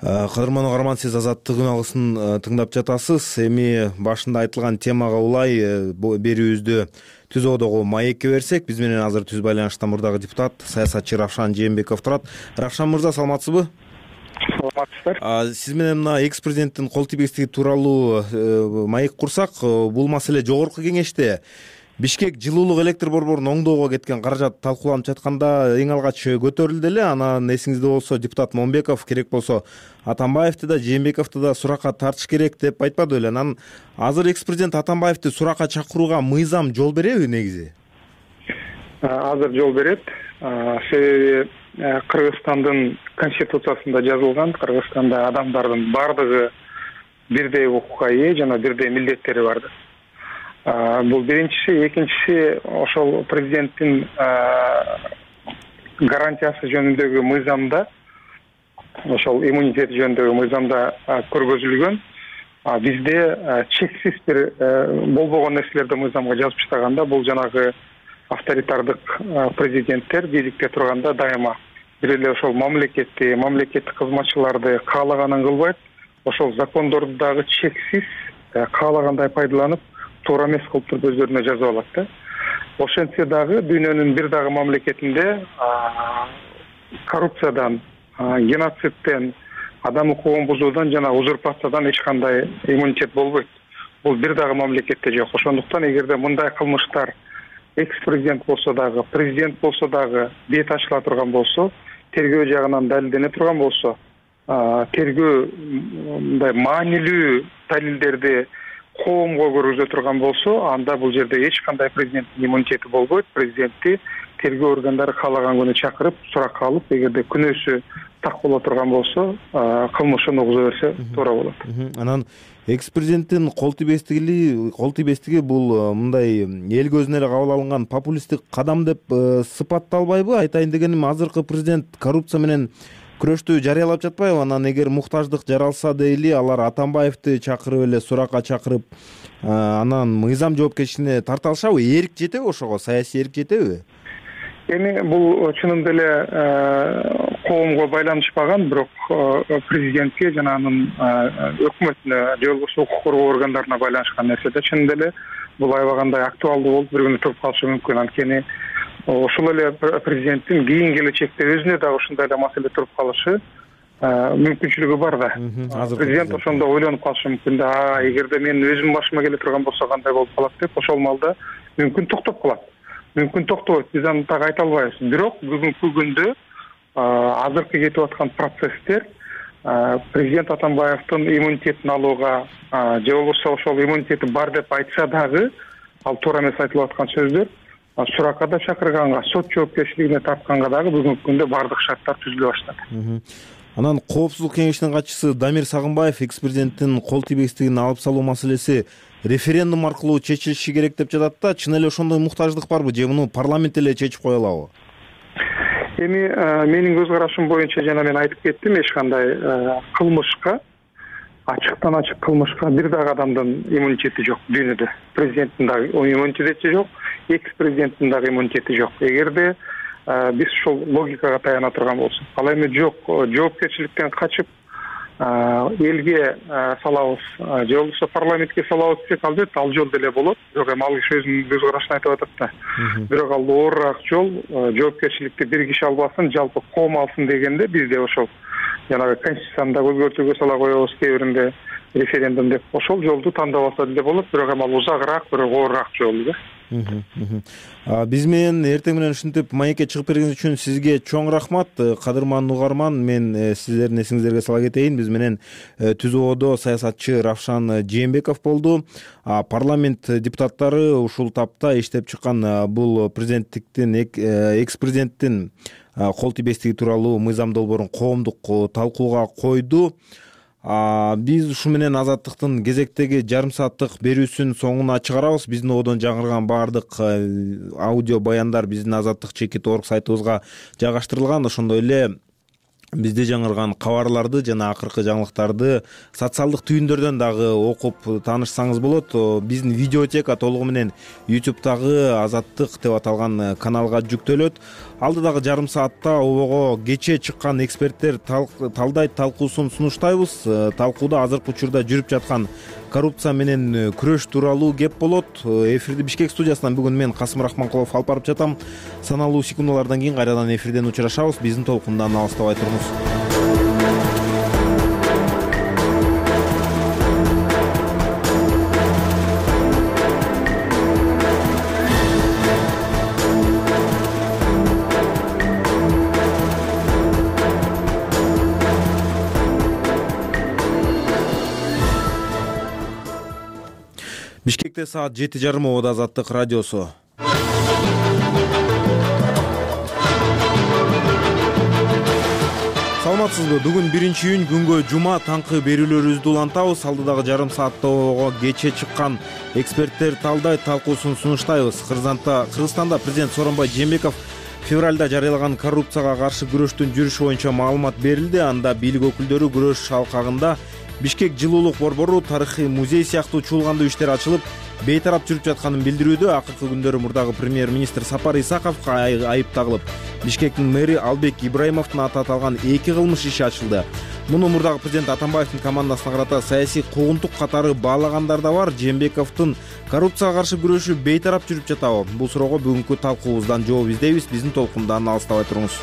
Кадырман угарман, сиз Азаттык үн алгысын тыңдап жатасыз. Эми башында айтылган темага улай берүүбүздү Түз Одого маекке берсек, биз менен азыр түз байланышта мурдагы депутат, саясатчы Равшан Жээнбеков турат. Равшан мырза, саламатсызбы? Саламатсыздар. Сиз менен мына экс-президенттин кол тийбестиги тууралуу маек курсак, бул маселе жогорку кеңеште Бишкек жылуулук электр борборун оңдоого кеткен каражат талкууланып жатканда эң алгач көтөрүлдү эле. Анан эсиңизде болсо депутат Момбеков керек болсо Атамбаевди да Жээнбековду да суракка тартыш керек деп айтпады беле. Анан азыр экс-президент Атамбаевди суракка чакырууга мыйзам жол береби негизи? Азыр жол берет. Себеби Кыргызстандын конституциясында жазылган, Кыргызстанда адамдардын бардыгы бирдей укукка ээ жана бирдей милдеттери бар. Бул биринчиси, экинчиси ошол президенттин гарантиясы жөнүндөгү мыйзамда, ошол иммунитет жөнүндөгү мыйзамда көргөзүлгөн. Бизде чексиз бир болбогон нерселерди мыйзамга жазып чыгганда, бул жанагы авторитардык президенттер бийликте турганда дайыма бир эле ошол мамлекеттик кызматчыларды каалаганын кылбайт, ошол закондорду дагы чексиз каалагандай пайдаланып, туура эмес кылып туруп өздөрүнө жазып алат да. Ошентсе дагы дүйнөнүн бир дагы мамлекетинде коррупциядан, геноцидден, адам укугун бузуудан жана узурпациядан эч кандай иммунитет болбойт. Бул бир дагы мамлекетте жок. Ошондуктан эгерде мындай кылмыштар экс-президент болсо дагы, президент болсо дагы бет ачыла турган болсо, тергөө жагынан далилдене турган болсо, тергөө мындай маанилүү далилдерди коомго көргөзө турган болсо, анда бул жерде эч кандай президенттин иммунитети болбойт. Президентти тергөө органдары каалаган күнү чакырып, суракка алып, эгерде күнөөсү так боло турган болсо, кылмышын угуза берсе туура болот. Анан экс-президенттин кол тийбестиги бул мындай эл көзүнө эле кабыл алынган популисттик кадам деп сыпатталбайбы? Айтайын дегеним, азыркы президент коррупция менен күрөштү жарыялап жатпайбы? Анан эгер муктаждык жаралса дейли, алар Атамбаевди чакырып эле суракка чакырып, анан мыйзам жоопкерчилигине тарта алышабы? Эрк жетеби ошого? Саясий эрк жетеби? Эми бул чынында эле коомго байланышпаган, бирок президентке жана анын өкмөтүнө же болбосо укук коргоо органдарына байланышкан нерсе да. Чынында эле бул аябагандай актуалдуу болуп бир күнү туруп калышы мүмкүн. Анткени ошол эле президенттин кийинки келечекте өзүнө дагы ушундай эле маселе туруп калышы мүмкүнчүлүгү бар да. Президент ошондо ойлонуп калышы мүмкүн да, эгерде менин өзүмдүн башыма келе турган болсо кандай болуп калат деп, ошол малда мүмкүн токтоп калат. Мүмкүн токтобойт, биз аны так айта албайбыз. Бирок бүгүнкү күндө азыркы кетип аткан процесстер президент Атамбаевдин иммунитетин алууга же болбосо ошол иммунитети бар деп айтса дагы, ал туура эмес айтылып аткан сөздөр, суракка да чакырганга, сот жоопкерчилигине тартканга дагы бүгүнкү күндө бардык шарттар түзүлө баштады. Анан Коопсуздук кеңешинин катчысы Дамир Сагынбаев экс-президенттин кол тийбестигин алып салуу маселеси референдум аркылуу чечилиши керек деп жатат да. Чын эле ошондой муктаждык барбы же муну парламент эле чечип кое алабы? Эми менин көз карашым боюнча, жана мен айтып кеттим, эч кандай кылмышка, ачыктан ачык кылмышка бир дагы адамдын иммунитети жок дүйнөдө. Президенттин дагы иммунитети жок, экс-президенттин дагы иммунитети жок. Эгерде биз ушул логикага таяна турган болсок, ал эми жок, жоопкерчиликтен качып элге салабыз, же болбосо парламентке салабыз десек, албетте ал жол деле болот. Бирок эми ал киши өзүнүн көз карашын айтып атат да. Бирок ал оорураак жол, жоопкерчиликти бир киши албасын, жалпы коом алсын дегенде, бизде ошол жанагы конституцияны да өзгөртүүгө сала коебуз, кээ биринде референдум деп, ошол жолду тандап алса деле болот. Бирок эми ал узагыраак, бирок оорураак жол да. Биз менен эртең менен ушинтип маекке чыгып бергениңиз үчүн сизге чоң рахмат. Кадырман угарман, мен сиздердин эсиңиздерге сала кетейин, биз менен Түз Одо саясатчы Равшан Жээнбеков болду. Парламент депутаттары ушул тапта иштеп чыккан бул экс-президенттин кол тийбестиги тууралуу мыйзам долбоорун коомдук талкууга койду. Биз ушу менен Азаттыктын кезектеги жарым сааттык берүүсүн соңуна чыгарабыз. Биздин одон жаңырган баардык аудио баяндар биздин Азаттык.org сайтыбызга жайгаштырылган. Ошондой эле бизде жаңырган кабарларды жана акыркы жаңылыктарды социалдык түйүндөрдөн дагы окуп таанышсаңыз болот. Биздин видеотека толугу менен YouTube'дагы Азаттык деп аталган каналга жүктөлөт. Алдыдагы жарым саатта обого кечээ чыккан эксперттер талдайт талкуусун сунуштайбыз. Талкууда азыркы учурда жүрүп жаткан коррупция менен күрөш тууралуу кеп болот. Эфирди Бишкек студиясынан бүгүн мен Касым Рахманкулов алып барып жатам. Саналуу секундалардан кийин кайрадан эфирден учурашабыз. Биздин толкундан алыстабай туруңуз. Бишкекте саат 7:30 ободо Азаттык радиосу. Саламатсызбы? Бүгүн 1-июнь күнгө жума таңкы берүүлөрүбүздү улантабыз. Алдыдагы жарым саатта обого кечээ чыккан эксперттер талдайт талкуусун сунуштайбыз. Кыргызстанда президент Сооронбай Жээнбеков февралда жарыялаган коррупцияга каршы күрөштүн жүрүшү боюнча маалымат берилди. Анда бийлик өкүлдөрү күрөш алкагында Бишкек жылуулук борбору, тарыхый музей сыяктуу чуулгандуу иштер ачылып, бейтарап жүрүп жатканын билдирүүдө. Акыркы күндөрү мурдагы премьер-министр Сапар Исаковго айып тагылып, Бишкектин мэри Албек Ибраимовдун аты аталган 2 кылмыш иши ачылды. Муну мурдагы президент Атамбаевдин командасына карата саясий куугунтук катары баалагандар да бар. Жээнбековдун коррупцияга каршы күрөшү бейтарап жүрүп жатабы? Бул суроого бүгүнкү талкуубуздан жооп издейбиз. Биздин толкундан алыстабай туруңуз.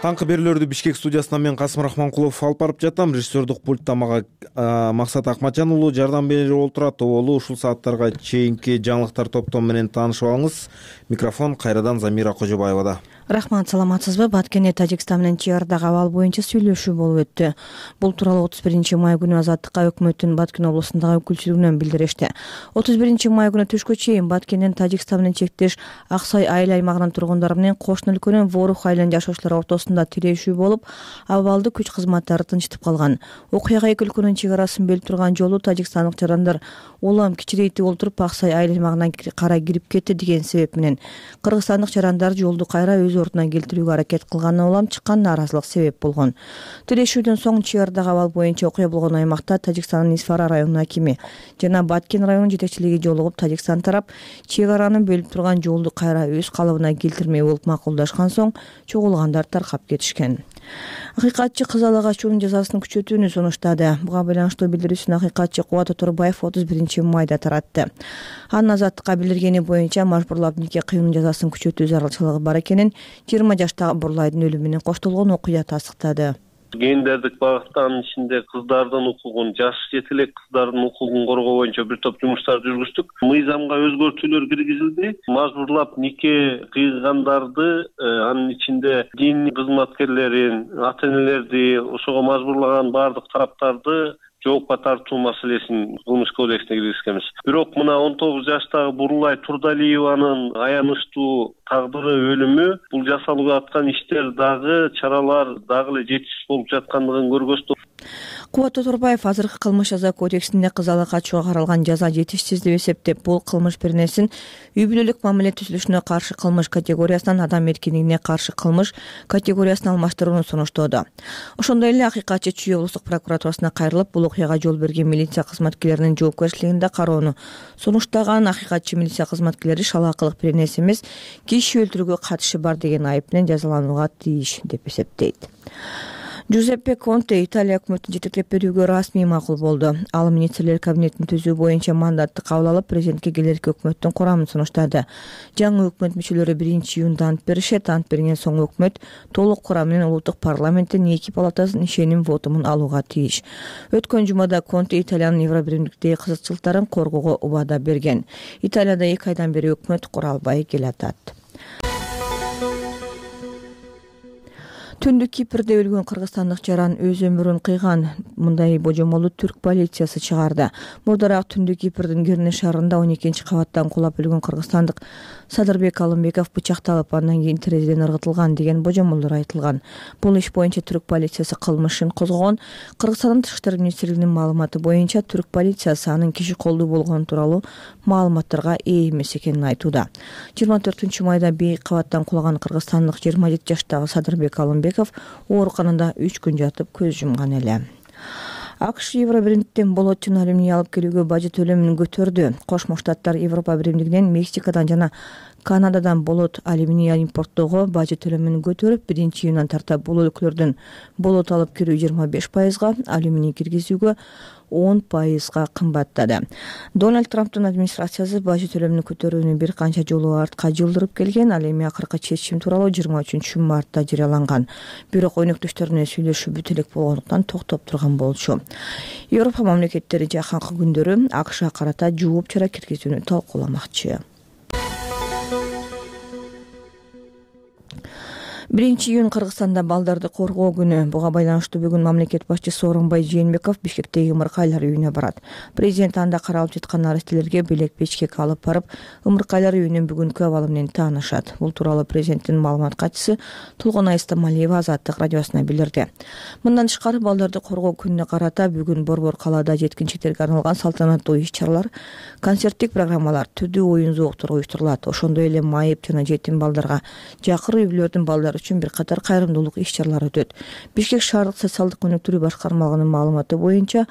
Таңкы берүүлөрдү Бишкек студиясынан мен Касым Рахманкулов алып барып жатам. Режиссердук пультта мага Максат Акматжан уулу жардам берип отурат. Оолу ушул сааттарга чейинки жаңылыктар топтому менен таанышып алыңыз. Микрофон кайрадан Замира Кожобаевада. Рахмат, саламатсызбы? Баткенде Тажикстан менен чегардагы абал боюнча сүйлөшүү болуп өттү. Бул тууралуу 31 май күнү Азаттыкка өкмөттүн Баткен облусундагы өкүлчүлүгүнөн билдиришти. 31 май күнү түшкө чейин Баткенден Тажикстан менен чектеш Аксай айыл аймагынын тургундары менен кошуна өлкөнүн Ворух айылынын жашоочулары ортосунда тирешүү болуп, абалды күч кызматтары тынчтып калган. Окуяга эки өлкөнүн чек арасын бөлүп турган жолу тажикстандык жарандар улам кичирейтип олтуруп Аксай айыл аймагына кара кирип кетти деген себеп менен кыргызстандык жарандар жолду кайра өз ордуна келтирүүгө аракет кылганына улам чыккан нааразылык себеп болгон. Тирешүүдөн соң чегардагы абал боюнча окуя болгон аймакта Тажикстандын Исфара районунун акими жана Баткен районунун жетекчилиги жолугуп, Тажикстан тарап чек араны бөлүп турган жолду кайра өз калыбына келтирмей болуп макулдашкан соң чогулгандар таркап кетишкен. Акыйкатчы Кызыл Агачуунун жазасын күчөтүүнү сунуштады. Буга байланыштуу билдирүүсүн акыйкатчы Кубат Оторбаев 31 майда таратты. Анын Азаттыкка билдиргени боюнча мажбурлап нике кыюунун жазасын күчөтүү зарылчылыгы бар экенин 20 жаштагы Бурлайдын өлүмү менен коштолгон окуя тастыктады. Гендердик багытта анын ичинде кыздардын укугун, жаш жетилек кыздардын укугун коргоо боюнча бир топ жумуштар жүргүздүк. Мыйзамга өзгөртүүлөр киргизилди. Мажбурлап нике кыйгандарды, анын ичинде дин кызматкерлерин, ата-энелерди, ошого мажбурлаган баардык тараптарды жоопко тартуу маселесин кылмыш кодексине киргизгенбиз. Бирок мына 19 жаштагы Бурлай Турдалиеванын аянычтуу тагдыры, өлүмү, бул жасалып аткан иштер дагы, чаралар дагы эле жетишсиз болуп жаткандыгын көргөзтү. Кубат Оторбаев азыркы кылмыш жаза кодексинде кызыл качууга каралган жаза жетишсиз деп эсептеп, бул кылмыш беренесин үй бүлөлүк мамиле түзүлүшүнө каршы кылмыш категориясынан адам эркиндигине каршы кылмыш категориясына алмаштырууну сунуштоодо. Ошондой эле акыйкатчы Чүй облустук прокуратурасына кайрылып, бул окуяга жол берген милиция кызматкерлеринин жоопкерчилигинде кароону сунуштаган. Акыйкатчы милиция кызматкерлери шалаакылык беренеси эмес, киши өлтүрүүгө катышы бар деген айып менен жазаланууга тийиш деп эсептейт. Джузеппе Конте Италия өкмөтүн жетектеп берүүгө расмий макул болду. Ал министрлер кабинетин түзүү боюнча мандатты кабыл алып, президентке келерки өкмөттүн курамын сунуштады. Жаңы өкмөт мүчөлөрү 1-июнда ант беришет. Ант берген соң өкмөт толук курам менен улуттук парламенттин 2 палатасынын ишеним вотумун алууга тийиш. Өткөн жумада Конте Италиянын Евробиримдиктеги кызыкчылыктарын коргоого убада берген. Италияда 2 айдан бери өкмөт кура албай келатат. Түндүк Кипрде өлгөн кыргызстандык жаран өз өмүрүн кыйган. Мындай божомолду түрк полициясы чыгарды. Мурдараак Түндүк Кипрдин Герне шаарында 12-кабаттан кулап өлгөн кыргызстандык Садырбек Алымбеков бычакталып, андан кийин терезеден ыргытылган деген божомолдор айтылган. Бул иш боюнча түрк полициясы кылмыш ишин козгогон. Кыргызстандын Тышкы иштер министрлигинин маалыматы боюнча түрк полициясы анын киши колдуу болгону тууралуу маалыматтарга ээ эмес экенин айтууда. 24-майда бийик кабаттан кулаган кыргызстандык 27 жаштагы Садырбек Алымбеков ооруканада 3 күн жатып көз жумган эле. АКШ Евробиримден болот жана алюминий алып келүүгө бажы төлөмүн көтөрдү. Кошмо Штаттар Европа биримдигинен Мексикадан жана Канададан болот алюминий импорттоого бажы төлөмүн көтөрүп, 1-июндан тарта бул өлкөлөрдөн болот алып кирүү 25%, алюминий киргизүүгө 10% кымбаттады. Дональд Трамптын администрациясы бажы төлөмүн көтөрүүнү бир канча жолу артка жылдырып келген, ал эми акыркы чечим тууралуу 23-мартта жарыяланган. Бирок өнөктөштөрүнө сүйлөшүү бүтө элек болгондуктан токтоп турган болчу. Европа мамлекеттери жакынкы күндөрү АКШга карата жооп чара киргизүүнү талкууламакчы. 1-июнь Кыргызстанда балдарды коргоо күнү. Буга байланыштуу бүгүн мамлекет башчысы Сооронбай Жээнбеков Бишкектеги ымыркайлар үйүнө барат. Президент анда каралып жаткан арестелерге белек бечкек алып барып, ымыркайлар үйүнүн бүгүнкү абалы менен таанышат. Бул тууралуу президенттин маалымат катчысы Толгонай Стамалиева Азаттык радиосуна билдирди. Мындан тышкары балдарды коргоо күнүнө карата бүгүн Борбор калаада жеткинчектерге арналган салтанаттуу иш-чаралар, концерттик программалар, түрдүү оюн-зооктор уюштурулат. Ошондой эле майып жана жетим балдарга жакыр үй-бүлөлөрдүн балдары үчүн бир катар кайрымдуулук иш-чаралар өтөт. Бишкек шаардык социалдык өнүктүрүү башкармалыгынын маалыматы боюнча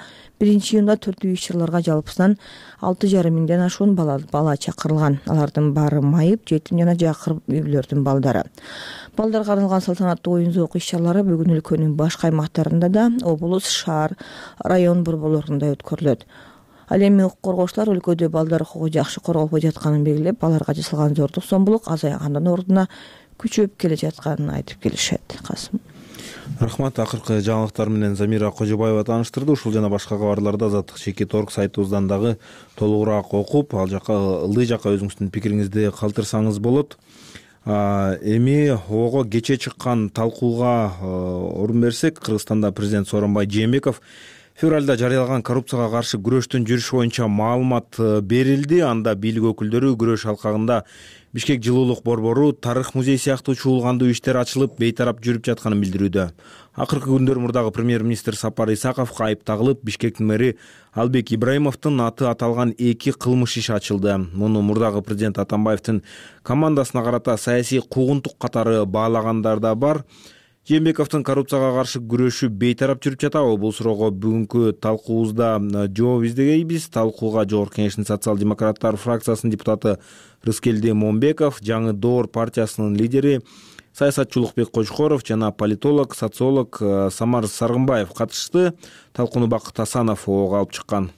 1-июнда түрдүү иш-чараларга жалпысынан 6,5 миңден ашуун бала чакырылган. Алардын баары майып, жетим жана жакыр үй-бүлөлөрдүн балдары. Балдарга арналган салтанаттуу оюн-зоок иш-чаралары бүгүн өлкөнүн башка аймактарында да, облус, шаар, район борборлорунда өткөрүлөт. Ал эми укук коргоочулар өлкөдө балдар укугу жакшы корголбой жатканын белгилеп, аларга жасалган зордук зомбулук азайгандын ордуна күчөп келе жатканын айтып келишет. Касым. Рахмат. Акыркы жаңылыктар менен Замира Кожобаева тааныштырды. Ушул жана башка кабарларды Азаттык Чекит.org сайтыбыздан дагы толугураак окуп, ал жака ылдый жака өзүңүздүн пикириңизди калтырсаңыз болот. Эми ого кече чыккан талкууга орун берсек, Кыргызстанда президент Сооронбай Жээнбеков февралда жарыялаган коррупцияга каршы күрөштүн жүрүшү боюнча маалымат берилди. Анда бийлик өкүлдөрү күрөш алкагында Бишкек жылуулук борбору, тарых музей сыяктуу чуулгандуу иштер ачылып, бейтарап жүрүп жатканын билдирүүдө. Акыркы күндөр мурдагы премьер-министр Сапар Исаковго айып тагылып, Бишкектин мэри Албек Ибраимовдун аты аталган 2 кылмыш иши ачылды. Муну мурдагы президент Атамбаевдин командасына карата саясий куугунтук катары баалагандар да бар. Жээнбековдун коррупцияга каршы күрөшү бейтарап жүрүп жатабы? Бул суроого бүгүнкү талкуубузда жооп издегейбиз. Талкууга Жогорку Кеңештин социал-демократтар фракциясынын депутаты Рыскелди Момбеков, Жаңы Доор партиясынын лидери саясатчы Улукбек Кожкоров жана политолог, социолог Самар Саргымбаев катышты. Талкууну Бакыт Асанов ого алып чыккан.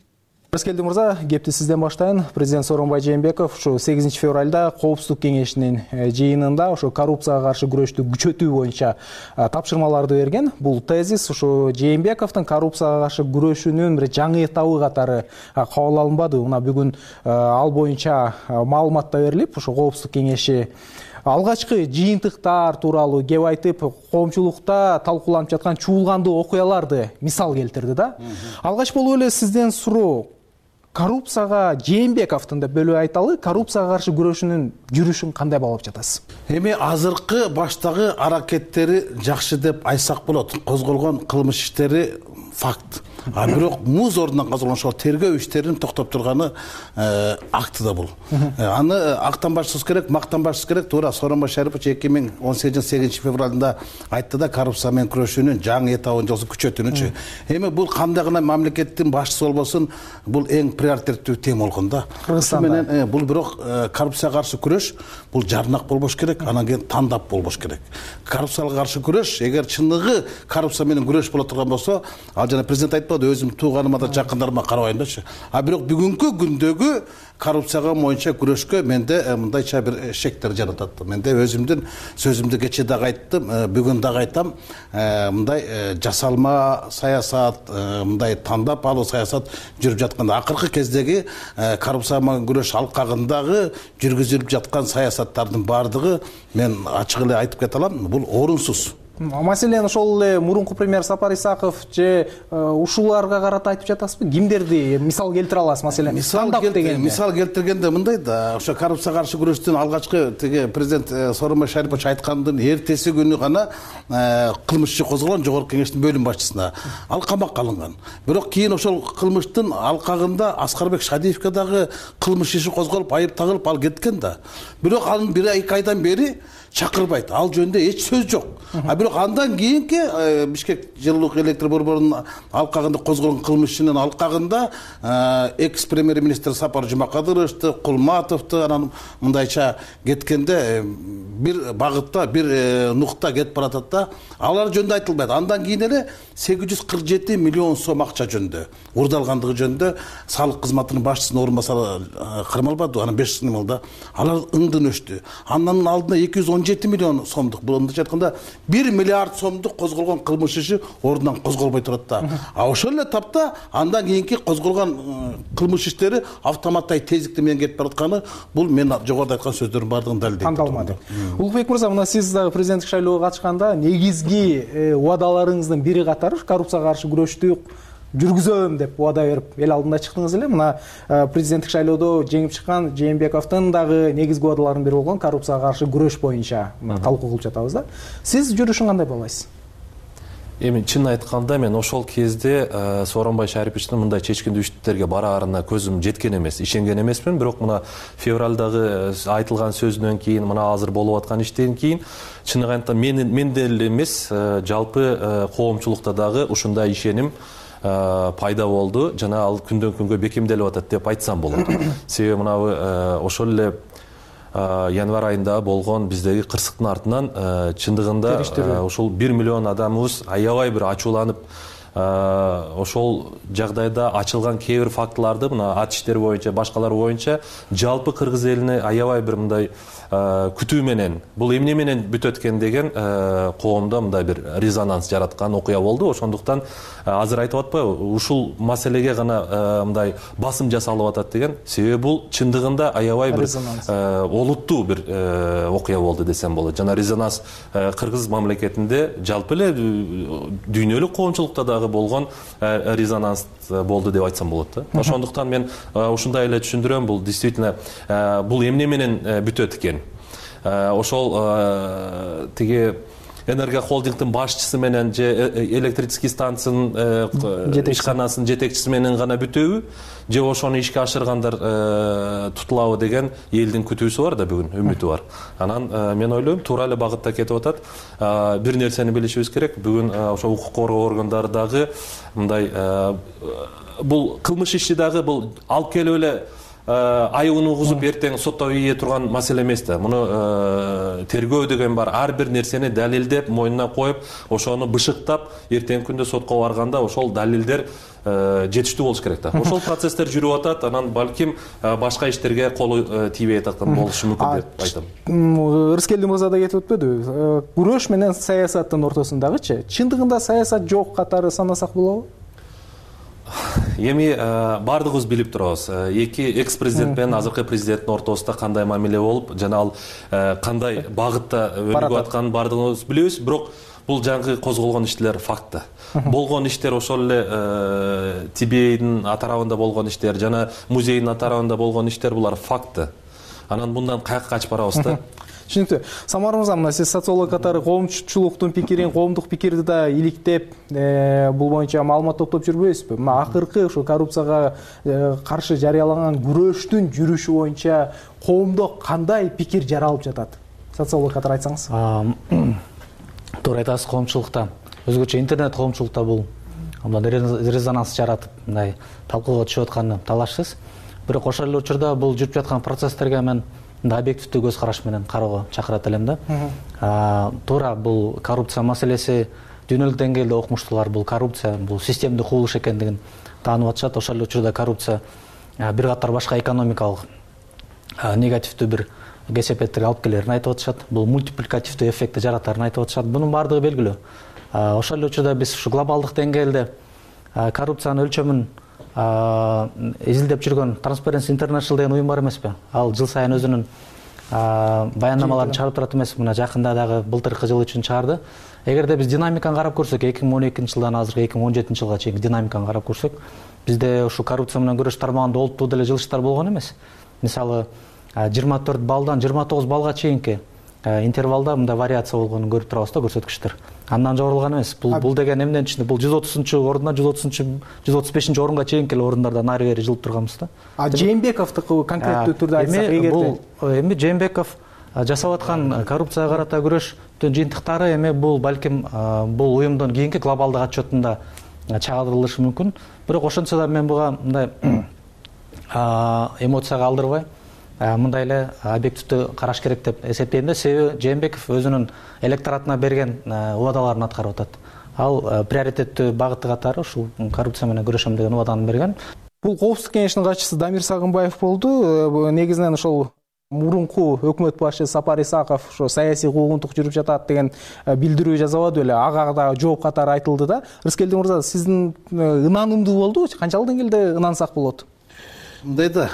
Рыскелди мырза, кепти сизден баштайын. Президент Сооронбай Жээнбеков ушу 8 февралда Коопсуздук кеңешинин жыйынында ушу коррупцияга каршы күрөштү күчөтүү боюнча тапшырмаларды берген. Бул тезис ушу Жээнбековдун коррупцияга каршы күрөшүүнүн бир жаңы этабы катары кабыл алынбады. Мына бүгүн ал боюнча маалымат да берилип, ушу Коопсуздук кеңеши алгачкы жыйынтыктар тууралуу кеп айтып, коомчулукта талкууланып жаткан чуулгандуу окуяларды мисал келтирди да. Алгач болуп эле сизден суроо, коррупцияга Жээнбековдун да бөлүп айталы, коррупцияга каршы күрөшүүнүн жүрүшүн кандай баалап жатасыз? Эми азыркы баштагы аракеттери жакшы деп айтсак болот. Козголгон кылмыш иштери факт. Бирок муз ордунан казылган ошол тергөө иштерин токтоп турганы акты да бул. Аны актанбашсыз керек, мактанбашсыз керек. Туура Сооронбай Шарипович 2018 февралында айтты да, коррупция менен күрөшүүнүн жаңы этабын жолсу күчөтүүнүчү. Эми бул кандай гана мамлекеттин башчысы болбосун, бул эң приоритеттүү тема болгон да. Кыргызстанда бул бирок коррупцияга каршы күрөш бул жарнак болбош керек, анан кийин тандап болбош керек. Коррупцияга каршы күрөш, эгер чындыгы коррупция менен күрөш боло турган болсо, ал жана президент айтпады, өзүм тууганыма да жакындарыма карабайымдачы. Бирок бүгүнкү күндөгү коррупцияга боюнча күрөшкө менде мындайча бир шектер жаратат. Менде өзүмдүн сөзүмдү кече дагы айттым, бүгүн дагы айтам. Мындай жасалма саясат, мындай тандап алуу саясат жүрүп жатканда, акыркы кездеги коррупцияга менен күрөш алкагындагы жүргүзүлүп жаткан саясаттардын баардыгы, мен ачык эле айтып кете алам, бул орунсуз. Маселен ошол эле мурунку премьер Сапар Исаков же ушуларга карата айтып жатасызбы? Кимдерди мисал келтире аласыз? Маселен мисал келтиргенде мындай да, ошо коррупцияга каршы күрөштүн алгачкы тиги президент Сооронбай Шарипович айткандын эртеси күнү гана кылмыш иши козголгон жогорку кеңештин бөлүм башчысына ал камакка алынган. Бирок кийин ошол кылмыштын алкагында Аскарбек Шадиевке дагы кылмыш иши козголуп, айып тагылып ал кеткен да. Бирок анын 1-2 айдан бери чакырбайт. Ал жөнүндө эч сөз жок. Бирок андан кийинки Бишкек жылуулук электр борборунун алкагында козголгон кылмыш ишинин алкагында экс премьер-министр Сапар Жумакадыровду, Кулматовду анан мындайча кеткенде бир багытта, бир нукта кетип баратат да. Алар жөнүндө айтылбайт. Андан кийин эле 847 миллион сом акча жөнүндө, урдалгандыгы жөнүндө салык кызматынын башчысынын орун басары кармалбады, анан 5 жыл да. Алар ыңдын өчтү. Андан алдына 217 миллион сомдук, мындайча айтканда 1 миллиард сомдук козголгон кылмыш иши ордунан козголбой турат да. Ошол эле тапта андан кийинки козголгон кылмыш иштери автоматтай тездикти менен кетип баратканы бул мен жогоруда айткан сөздөрдүн баардыгын далилдейт. Кандалмады. Улукбек мырза, мына сиз дагы президенттик шайлоого катышканда негизги убадаларыңыздын бири катары коррупцияга каршы күрөштү жүргүзөм деп убада берип эл алдында чыктыңыз эле. Мына президенттик шайлоодо жеңип чыккан Жээнбековдун дагы негизги убадаларынын бири болгон коррупцияга каршы күрөш боюнча талкуу кылып жатабыз да. Сиз жүрүшүн кандай баалайсыз? Эми чын айтканда мен ошол кезде Сооронбай Шариповичтин мындай чечкиндүү иштерге бараарына көзүм жеткен эмес, ишенген эмесмин. Бирок мына февралдагы айтылган сөзүнөн кийин, мына азыр болуп аткан иштен кийин чыныгы айтканда мен деле эмес, жалпы коомчулукта дагы ушундай ишеним пайда болду жана ал күндөн күнгө бекемделип атат деп айтсам болот. Себеби мынабы ошол эле январь айында болгон биздеги кырсыктын артынан чындыгында ошол 1 миллион адамыбыз аябай бир ачууланып, ошол жагдайда ачылган кээ бир фактыларды мына ат иштери боюнча, башкалар боюнча жалпы кыргыз элине аябай бир мындай күтүү менен, бул эмне менен бүтөт экен деген коомдо мындай бир резонанс жараткан окуя болду. Ошондуктан азыр айтып атпайбы, ушул маселеге гана мындай басым жасалып атат деген. Себеби бул чындыгында аябай бир олуттуу бир окуя болду десем болот. Жана резонанс кыргыз мамлекетинде жалпы эле дүйнөлүк коомчулукта дагы болгон резонанс болду деп айтсам болот да. Ошондуктан мен ушундай эле түшүндүрөм, бул действительно бул эмне менен бүтөт экен. Ошол тиги энерго холдингдин башчысы менен же электрический станциянын ишканасынын жетекчиси менен гана бүтөбү, же ошону ишке ашыргандар тутулабы деген элдин күтүүсү бар да, бүгүн үмүтү бар. Анан мен ойлойм, туура эле багытта кетип атат. Бир нерсени билишибиз керек, бүгүн ошо укук коргоо органдары дагы мындай бул кылмыш иши дагы бул алып келип эле айыбын угузуп эртең сотто ийе турган маселе эмес да. Муну тергөө деген бар. Ар бир нерсени далилдеп, мойнуна коюп, ошону бышыктап, эртеңки күндө сотко барганда ошол далилдер жетиштүү болуш керек да. Ошол процесстер жүрүп атат, анан балким башка иштерге колу тийбей аткан болушу мүмкүн деп айтам. Рыскелди мырза да кетип өтпөдү? Күрөш менен саясаттын ортосундагычы чындыгында саясат жок катары санасак болобу? Эми бардыгыбыз билип турабыз. Эки экс президент менен азыркы президенттин ортосунда кандай мамиле болуп, жана ал кандай багытта өнүгүп атканын бардыгыбыз билебиз. Бирок бул жаңы козголгон иштер факт да. Болгон иштер ошол эле Тибейдин атарабында болгон иштер, жана музейдин атарабында болгон иштер, булар факт да. Анан мындан каяка качып барабыз да. Түшүнүктүү. Самар мырза, мына сиз социолог катары коомчулуктун пикирин, коомдук пикирди да иликтеп, бул боюнча маалымат топтоп жүрбөйсүзбү? Мына акыркы ошо коррупцияга каршы жарыяланган күрөштүн жүрүшү боюнча коомдо кандай пикир жаралып жатат? Социолог катары айтсаңыз. Туура айтасыз, коомчулукта, өзгөчө интернет коомчулукта бул мындай резонанс жаратып, мындай талкууга түшүп атканы талашсыз. Бирок ошол эле учурда бул жүрүп жаткан процесстерге мен объективдүү көз караш менен кароого чакырат элем да. Туура бул коррупция маселеси дүйнөлүк деңгээлде окумуштуулар бул коррупция, бул системдик кубулуш экендигин таанып атышат. Ошол эле учурда коррупция бир катар башка экономикалык негативдүү бир кесепеттерге алып келерин айтып атышат. Бул мультипликативдүү эффектти жаратарын айтып атышат. Бунун баардыгы белгилүү. Ошол эле учурда биз ушу глобалдык деңгээлде коррупциянын өлчөмүн изилдеп жүргөн Transparency International деген уюм бар эмеспи? Ал жыл сайын өзүнүн баяндамаларын чыгарып турат эмес? Мына жакында дагы былтыркы жыл үчүн чыгарды. эгерде биз динамиканы карап көрсөк 2012 жылдан азыркы 2017 жылга чейинки динамиканы карап көрсөк бизде ушу коррупция менен күрөш тармагында олуттуу деле жылыштар болгон эмес. Мисалы 24 балдан 29 балга чейинки интервалда мындай вариация болгонун көрүп турабыз да көрсөткүчтөр. Андан жогорулган эмес. Бул деген эмненин ичинде? Бул 130 орундан 135 орунга чейинки эле орундардан ары бери жылып турганбыз да. Жээнбековдуку конкреттүү түрдө айтсак эгерде бул эми Жээнбеков жасап аткан коррупцияга карата күрөштүн жыйынтыктары эми бул балким бул уюмдун кийинки глобалдык отчетунда чагылдырылышы мүмкүн. Бирок ошентсе да мен буга мындай эмоцияга алдырбай мындай эле объективдүү караш керек деп эсептейм да. Себеби Жээнбеков өзүнүн электоратына берген убадаларын аткарып атат. Ал приоритеттүү багыты катары ушул коррупция менен күрөшөм деген убаданы берген. Бул коопсуздук кеңешинин катчысы Дамир Сагынбаев болду. Негизинен ошол мурунку өкмөт башчысы Сапар Исаков ошо саясий куугунтук жүрүп жатат деген билдирүү жазабады беле, ага да жооп катары айтылды да. Рыскелди мырза, сиздин ынанымдуу болдубу? Канчалык деңгээлде ынансак болот? Мындай да,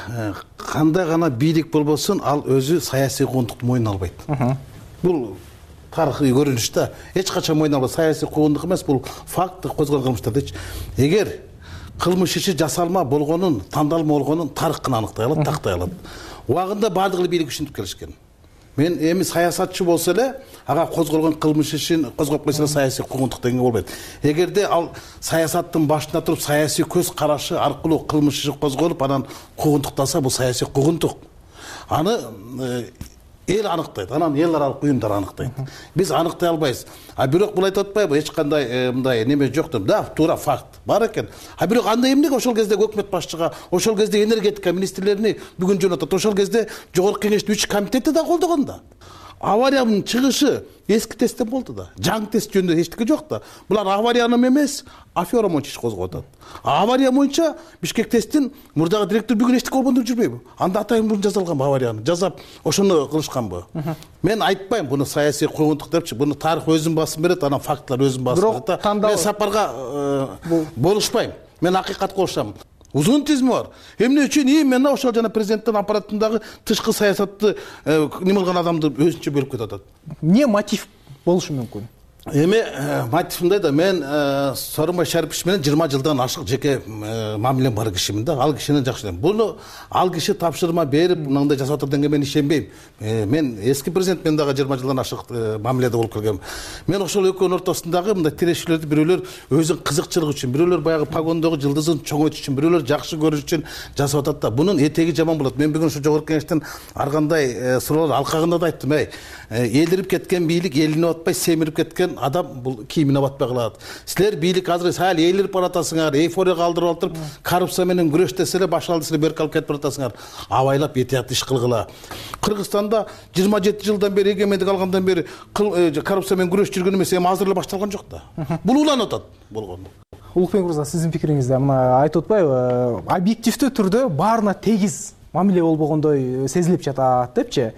кандай гана бийлик болбосун, ал өзү саясий куугунтукту мойнуна албайт. Бул тарыхый көрүнүш да. Эч качан мойнуна албайт. Саясий куугунтук эмес, бул факт козголгон кылмыштардычы. Эгер кылмыш иши жасалма болгонун, тандалма болгонун тарых гана аныктай алат, тактай алат. Убагында баардык эле бийлик ишинтип келишкен. Мен эми саясатчы болсо эле ага козголгон кылмыш ишин козгоп койсо саясий куугунтук деген болбойт. Эгерде ал саясаттын башында туруп саясий көз карашы аркылуу кылмыш иши козголуп анан куугунтукталса, бул саясий куугунтук. Аны эл аныктайт, анан эл аралык уюмдар аныктайт. Биз аныктай албайбыз. Бирок бул айтып атпайбы, эч кандай мындай неме жок деп. Да, туура факт бар экен. Бирок анда эмнеге ошол кезде өкмөт башчыга, ошол кезде энергетика министрлерини бүгүн жөнөтөт, ошол кезде жогорку кеңештин 3 комитети да колдогон да. Авариянын чыгышы эски тесттен болду да. Жаңы тест жөнүндө эчтеке жок да. Булар аварияны эмес, афера боюнча иш козгоп атат. Авария боюнча Бишкек тесттин мурдагы директор бүгүн эчтеке болбоду жүрбөйбү? Анда атайын мурун жазылганбы аварияны? Жазап ошону кылышканбы? Мен айтпайм буну саясий куугунтук депчи. Буну тарых өзүн басып берет, анан фактлар өзүн басып берет. Мен Сапарга болушпайм. Мен акыйкатка болушам. Узун тизми бар. Эмне үчүн именно ошол жана президенттин аппаратындагы тышкы саясатты неме кылган адамды өзүнчө бөлүп кетип атат. Эмне мотив болушу мүмкүн? Эми мотив мындай да, мен Сооронбай Шарипович менен 20 жылдан ашык жеке мамилем бар кишимин да. Ал кишини жакшы көрөм. Буну ал киши тапшырма берип, мындай жасап атат дегенге мен ишенбейм. Мен эски президент менен дагы 20 жылдан ашык мамиледе болуп келгем. Мен ошол экөөнүн ортосундагы мындай тирешүүлөрдү бирөөлөр өзүнүн кызыкчылыгы үчүн, бирөөлөр баягы погондогу жылдызын чоңойтуш үчүн, бирөөлөр жакшы көрүш үчүн жасап атат да. Бунун этеги жаман болот. Мен бүгүн ушу жогорку кеңештин ар кандай суроолор алкагында да айттым. Элдирип кеткен бийлик элине батпай, семирип кеткен адам бул кийимине батпай калат. Силер бийлик азыр сал элирип баратасыңар, эйфорияга алдырып алып, коррупция менен күрөштесе эле баш алды силер берип калып кетип баратасыңар. Абайлап этият иш кылгыла. Кыргызстанда 27 жылдан бери, эгемендик алгандан бери коррупция менен күрөш жүргөн эмес, эми азыр эле башталган жок да. Бул уланып атат болгону. Улукбек мырза, сиздин пикириңизде мына айтып атпайбы, объективдүү түрдө баарына тегиз мамиле болбогондой сезилип жатат депчи?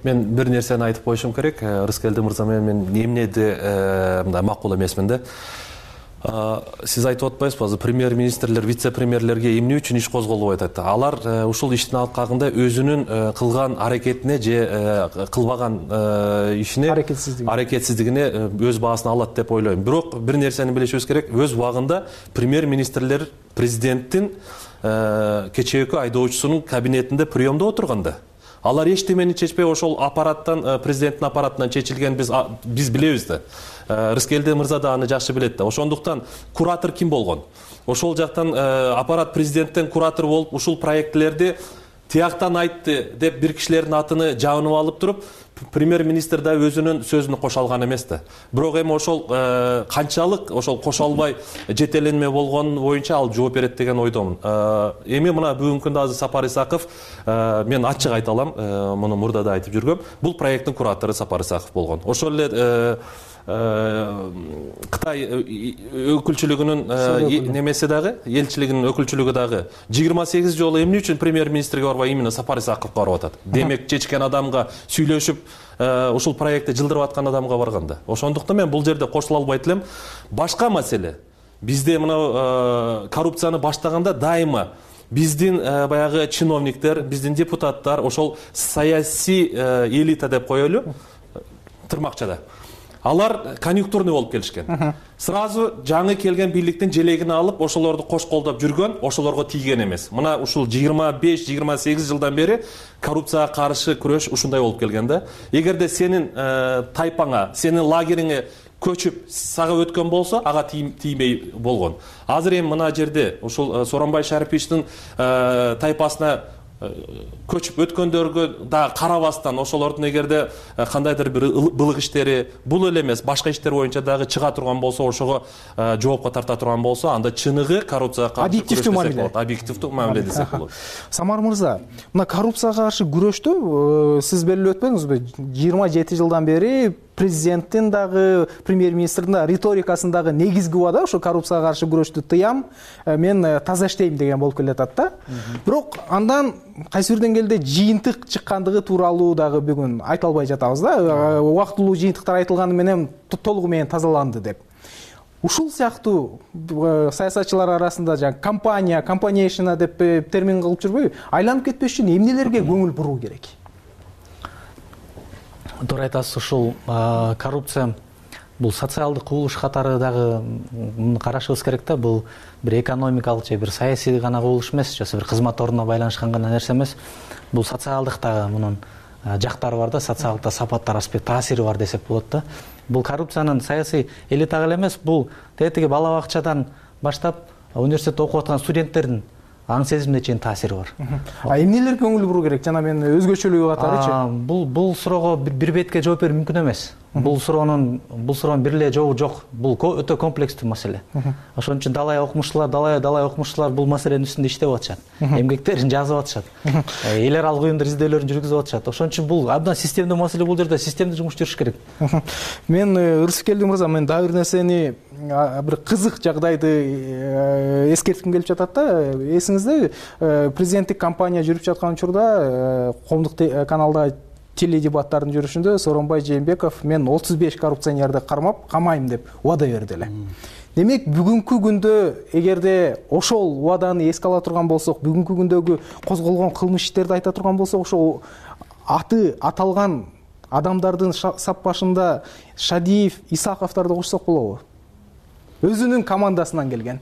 Мен бир нерсени айтып коюшум керек. Рыскелди мырза менен мен эмнеде мындай макул эмесмин да. Сиз айтып атпайсызбы, азыр премьер-министрлер, вице-премьерлерге эмне үчүн иш козголбойт атат? Алар ушул иштин алкагында өзүнүн кылган аракетине же кылбаган ишине, аракетсиздигине өз баасын алат деп ойлойм. Бирок бир нерсени билишибиз керек. Өз убагында премьер-министрлер президенттин кечээкү айдоочусунун кабинетинде приемдо отурганда алар эчтемени чечпей ошол аппараттан, президенттин аппаратынан чечилген биз билебиз да. Рыскелди мырза да аны жакшы билет да. Ошондуктан куратор ким болгон? Ошол жактан аппарат президенттен куратор болуп, ушул проектлерди тияктан айтты деп бир кишилердин атыны жабынып алып туруп, премьер-министр да өзүнүн сөзүнө кошо алган эмес да. Бирок эми ошол канчалык ошол кошо албай жетеленме болгон боюнча ал жооп берет деген ойдомун. Эми мына бүгүнкү күндө азыр Сапар Исаков, мен ачык айта алам, муну мурда да айтып жүргөм, бул проекттин куратору Сапар Исаков болгон. Ошол эле Кытай өкүлчүлүгүнүн немеси дагы, элчилигинин өкүлчүлүгү дагы 28 жолу эмне үчүн премьер-министрге барбай именно Сапар Исаковго барып атат? Демек чечкен адамга сүйлөшүп, ушул проектти жылдырып аткан адамга барганда. Ошондуктан мен бул жерде кошула албайт элем. Башка маселе. Бизде мына коррупцияны баштаганда дайыма биздин баягы чиновниктер, биздин депутаттар, ошол саясий элита деп коелу, тырмакчада. алар конъюнктурный болуп келишкен. Сразу жаңы келген бийликтин желегин алып, ошолорду кош колдоп жүргөн, ошолорго тийген эмес. Мына ушул 25-28 жылдан бери коррупцияга каршы күрөш ушундай болуп келген да. Эгерде сенин тайпаңа, сенин лагериңе көчүп сага өткөн болсо, ага тийбей болгон. Азыр эми мына жерде ушул Сооронбай Шариповичтин тайпасына көчүп өткөндөргө да карабастан, ошолордун эгерде кандайдыр бир былык иштери, бул эле эмес, башка иштер боюнча дагы чыга турган болсо, ошого жоопко тарта турган болсо, анда чыныгы коррупцияга каршы объективдүү мамиле, объективдүү мамиле десек болот. Самар мырза, мына коррупцияга каршы күрөштү сиз белгилеп өтпөңүзбү? 27 жылдан бери президенттин дагы, премьер-министрдин да риторикасынын дагы негизги убада ошо коррупцияга каршы күрөштү тыям, мен таза иштейм деген болуп келатат да. Бирок андан кайсы бир деңгээлде жыйынтык чыккандыгы тууралуу дагы бүгүн айта албай жатабыз да. Убактылуу жыйынтыктар айтылганы менен толугу менен тазаланды деп. Ушул сыяктуу саясатчылар арасында компанияшина деп термин кылып жүрбөйбү? Айланып кетпеш үчүн эмнелерге көңүл буруу керек? Туура айтасыз, ушул коррупция бул социалдык кубулуш катары дагы карашыбыз керек да. Бул бир экономикалык же бир саясий гана кубулуш эмес, же бир кызмат ордуна байланышкан гана нерсе эмес. Бул социалдык дагы мунун жактары бар да, социалдык сапаттар, аспект, таасири бар десек болот да. Бул коррупциянын саясий элитага эле эмес, бул тетиги бала бакчадан баштап университетте окуп аткан студенттердин аң сезимине чейин таасири бар. Эмнелерге көңүл буруу керек? Жана мен өзгөчөлүгү катарычы. Бул суроого бир бетке жооп берүү мүмкүн эмес. Бул суроонун бир эле жообу жок. Бул өтө комплекстүү маселе. Ошон үчүн далай окумуштуулар бул маселенин үстүндө иштеп атышат. Эмгектерин жазып атышат. Эл аралык уюмдар издөөлөрүн жүргүзүп атышат. Ошон үчүн бул абдан системдүү маселе, бул жерде системдүү жумуш жүрүш керек. Мен Ырысбек мырза, мен дагы бир нерсени, бир кызык жагдайды эскертким келип жатат да. Эсиңизде президенттик кампания жүрүп жаткан учурда коомдук каналда теледебаттардын жүрүшүндө Сооронбай Жээнбеков мен 35 коррупционерди камайм деп убада берди эле. Демек, бүгүнкү күндө эгерде ошол убаданы эске ала турган болсок, бүгүнкү күндөгү козголгон кылмыш иштерди айта турган болсок, ошол аты аталган адамдардын сап башында Шадиев, Исаковдорду кошсок болобу? Өзүнүн командасынан келген.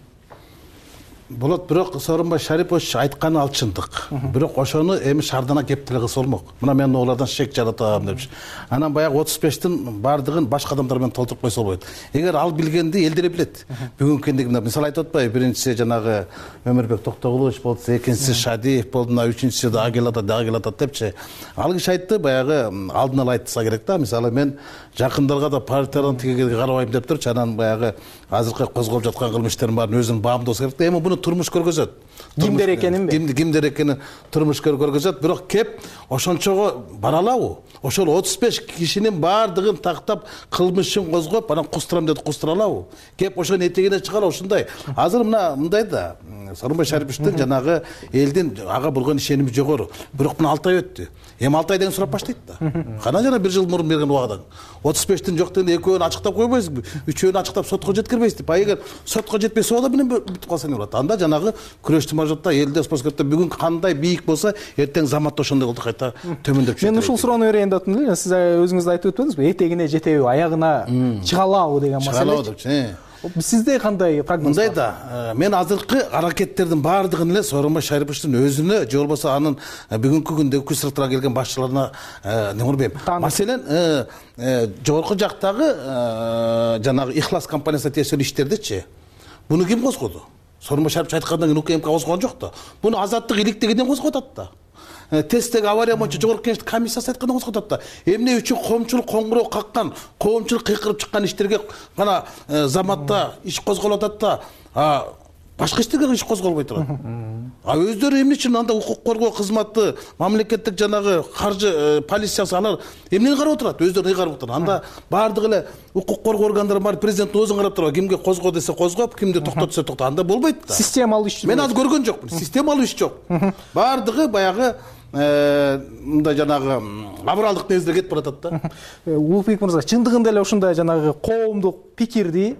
Болот, бирок Сооронбай Шарипович айтканы ал чындык. Бирок ошону эми шардана кеп деле кылса болмок. Мына мен олардан шек жаратам депчи. Анан баягы 35тин бардыгын башка адамдар менен толтуруп койсо болбойт. Эгер ал билгенди эл деле билет. Бүгүнкү кендигинде мисал айтып атпайбы, биринчиси жанагы Өмүрбек Токтогулович болду, экинчиси Шадиев болду, үчүнчүсү дагы келатат депчи. Ал киши айтты, баягы алдын ала айтса керек да. Мисалы мен жакындарга да партиядан тиге карабайм деп турчу, анан баягы азыркы козголуп жаткан кылмыштердин баарын өзүнүн баамдоо керек да. Эми буну турмуш көргөзөт. Кимдер экенинби? Кимдер экенин турмуш көргөзөт, бирок кеп ошончого бара алабы? Ошол 35 кишинин баардыгын тактап, кылмышын козгоп, анан кустурам деди, кустура алабы? Кеп ошонун этегине чыгара ушундай. Азыр мындай да, Сооронбай Шариповичтин жанагы элдин ага болгон ишеними жогору. Бирок мына 6 ай өттү. Эми 6 айдан сурап баштайт да. Кана жана 1 жыл мурун берген убагадан 35тин жок дегенде экөөнү ачыктап койбойсузбу? Үчөөнү ачыктап сотко жеткирбейсизби? Эгер сотко жетпесе убада менен бүтүп калса эмне болот? Анда жанагы күрөштү мажотта элде спорткетте бүгүн кандай бийик болсо, эртең заматта ошондой болду, кайта төмөндөп чыгат. Мен ушул суроону берейин деп атам эле. Сиз өзүңүз да айтып өтпөдүңүзбү? Этегине жетеби, аягына чыга алабы деген маселе. Сизде кандай прогноз? Мындай да, мен азыркы аракеттердин баардыгын эле Сооронбай Шариповичтин өзүнө же болбосо анын бүгүнкү күндөгү күч сыртына келген башчыларына неурбейм. Маселен, жогорку жактагы жанагы Ихлас компаниясына тиешелүү иштердичи. Буну ким козгоду? Сооронбай Шарипович айткандан кийин УКМК козгогон жок да. Буну Азаттык иликтегиден козгоп атат да. Тесттеги авария боюнча жогорку кеңештин комиссиясы айткандан козгоп атат да. Эмне үчүн коомчулук коңгуроо каккан, коомчулук кыйкырып чыккан иштерге гана заматта иш козголуп атат да, башка иштерге иш козголбой турат. Өздөрү эмне үчүн анда укук коргоо кызматы, мамлекеттик жанагы каржы полициясы алар эмнени карап отурат? Өздөрү карап отурат. Анда баардыгы эле укук коргоо органдары бар, президенттин өзүн карап турат. Кимге козго десе козгоп, кимди токтот десе токтот. Анда болбойт да. Системалуу иш. Мен азыр көргөн жокмун. Системалуу иш жок. Баардыгы баягы мындай жанагы абралдык негизде кетип баратат да. Улукбек мырза, чындыгында эле ушундай жанагы коомдук пикирди,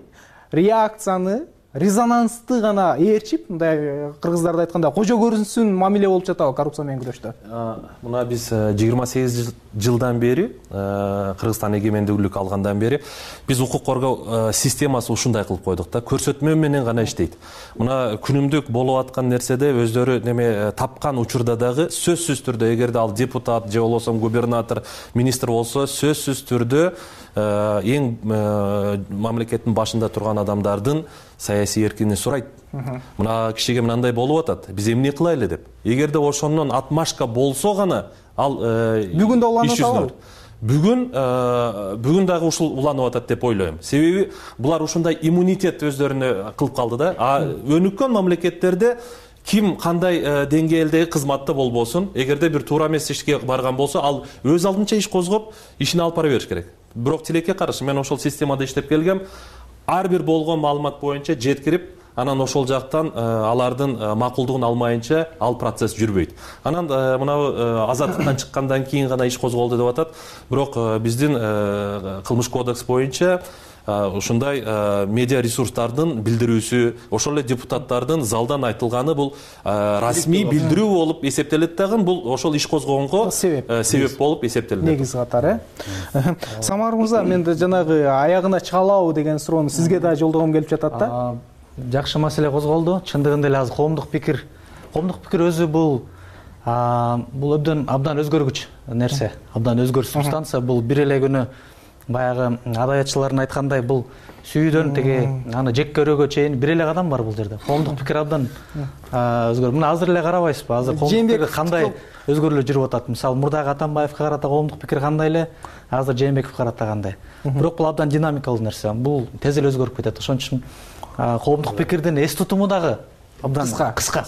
реакцияны резонанстуу гана ээрчип, мындай кыргыздарда айтканда кожо көрүнсүн мамиле болуп жатабы коррупция менен күрөштө? Мына биз 28 жылдан бери, Кыргызстан эгемендүүлүк алгандан бери биз укук коргоо системасы ушундай кылып койдук да, көрсөтмө менен гана иштейт. Мына күнүмдүк болуп аткан нерседе өздөрү неме тапкан учурда дагы сөзсүз түрдө, эгерде ал депутат же болбосо губернатор, министр болсо, сөзсүз түрдө эң мамлекеттин башында турган адамдардын саясий эркиндигин сурайт. Мына кишиге мындай болуп атат, биз эмне кылайлы деп. Эгерде ошондон отмашка болсо гана ал бүгүн да уланып атабы? Бүгүн дагы ушул уланып атат деп ойлойм. Себеби булар ушундай иммунитет өздөрүнө кылып калды да. Өнүккөн мамлекеттерде ким кандай деңгээлдеги кызматта болбосун, эгерде бир туура эмес ишке барган болсо, ал өз алдынча иш козгоп, ишин алып бара бериш керек. Бирок тилекке каршы мен ошол системада иштеп келгем. Ар бир болгон маалымат боюнча жеткирип, анан ошол жактан алардын макулдугун алмайынча ал процесс жүрбөйт. Анан мына азаттыктан чыккандан кийин гана иш козголду деп атат. Бирок биздин кылмыш кодекс боюнча ушундай медиа ресурстардын билдирүүсү, ошол эле депутаттардын залдан айтылганы бул расмий билдирүү болуп эсептелет дагы, бул ошол иш козгогонго себеп болуп эсептелет. Негиз катары. Самар мырза, мен да жанагы аягына чыга алабы деген суроону сизге да жолдогом келип жатат да. Жакшы маселе козголду. Чындыгында эле азыр коомдук пикир өзү бул абдан өзгөргүч нерсе, абдан өзгөргүч субстанция. Бул бир эле күнү баягы адаятчылардын айткандай, бул сүйүүдөн теги аны жек көрүүгө чейин бир эле кадам бар бул жерде. Коомдук пикир абдан өзгөрдү. Мына азыр эле карабайсызбы? Азыр коомдук пикир кандай өзгөрүүлөр жүрүп атат? Мисалы, мурдагы Атамбаевге карата коомдук пикир кандай эле, азыр Жээнбековго карата кандай. Бирок бул абдан динамикалуу нерсе. Бул тез эле өзгөрүп кетет. Ошон үчүн коомдук пикирдин эс тутуму дагы абдан кыска.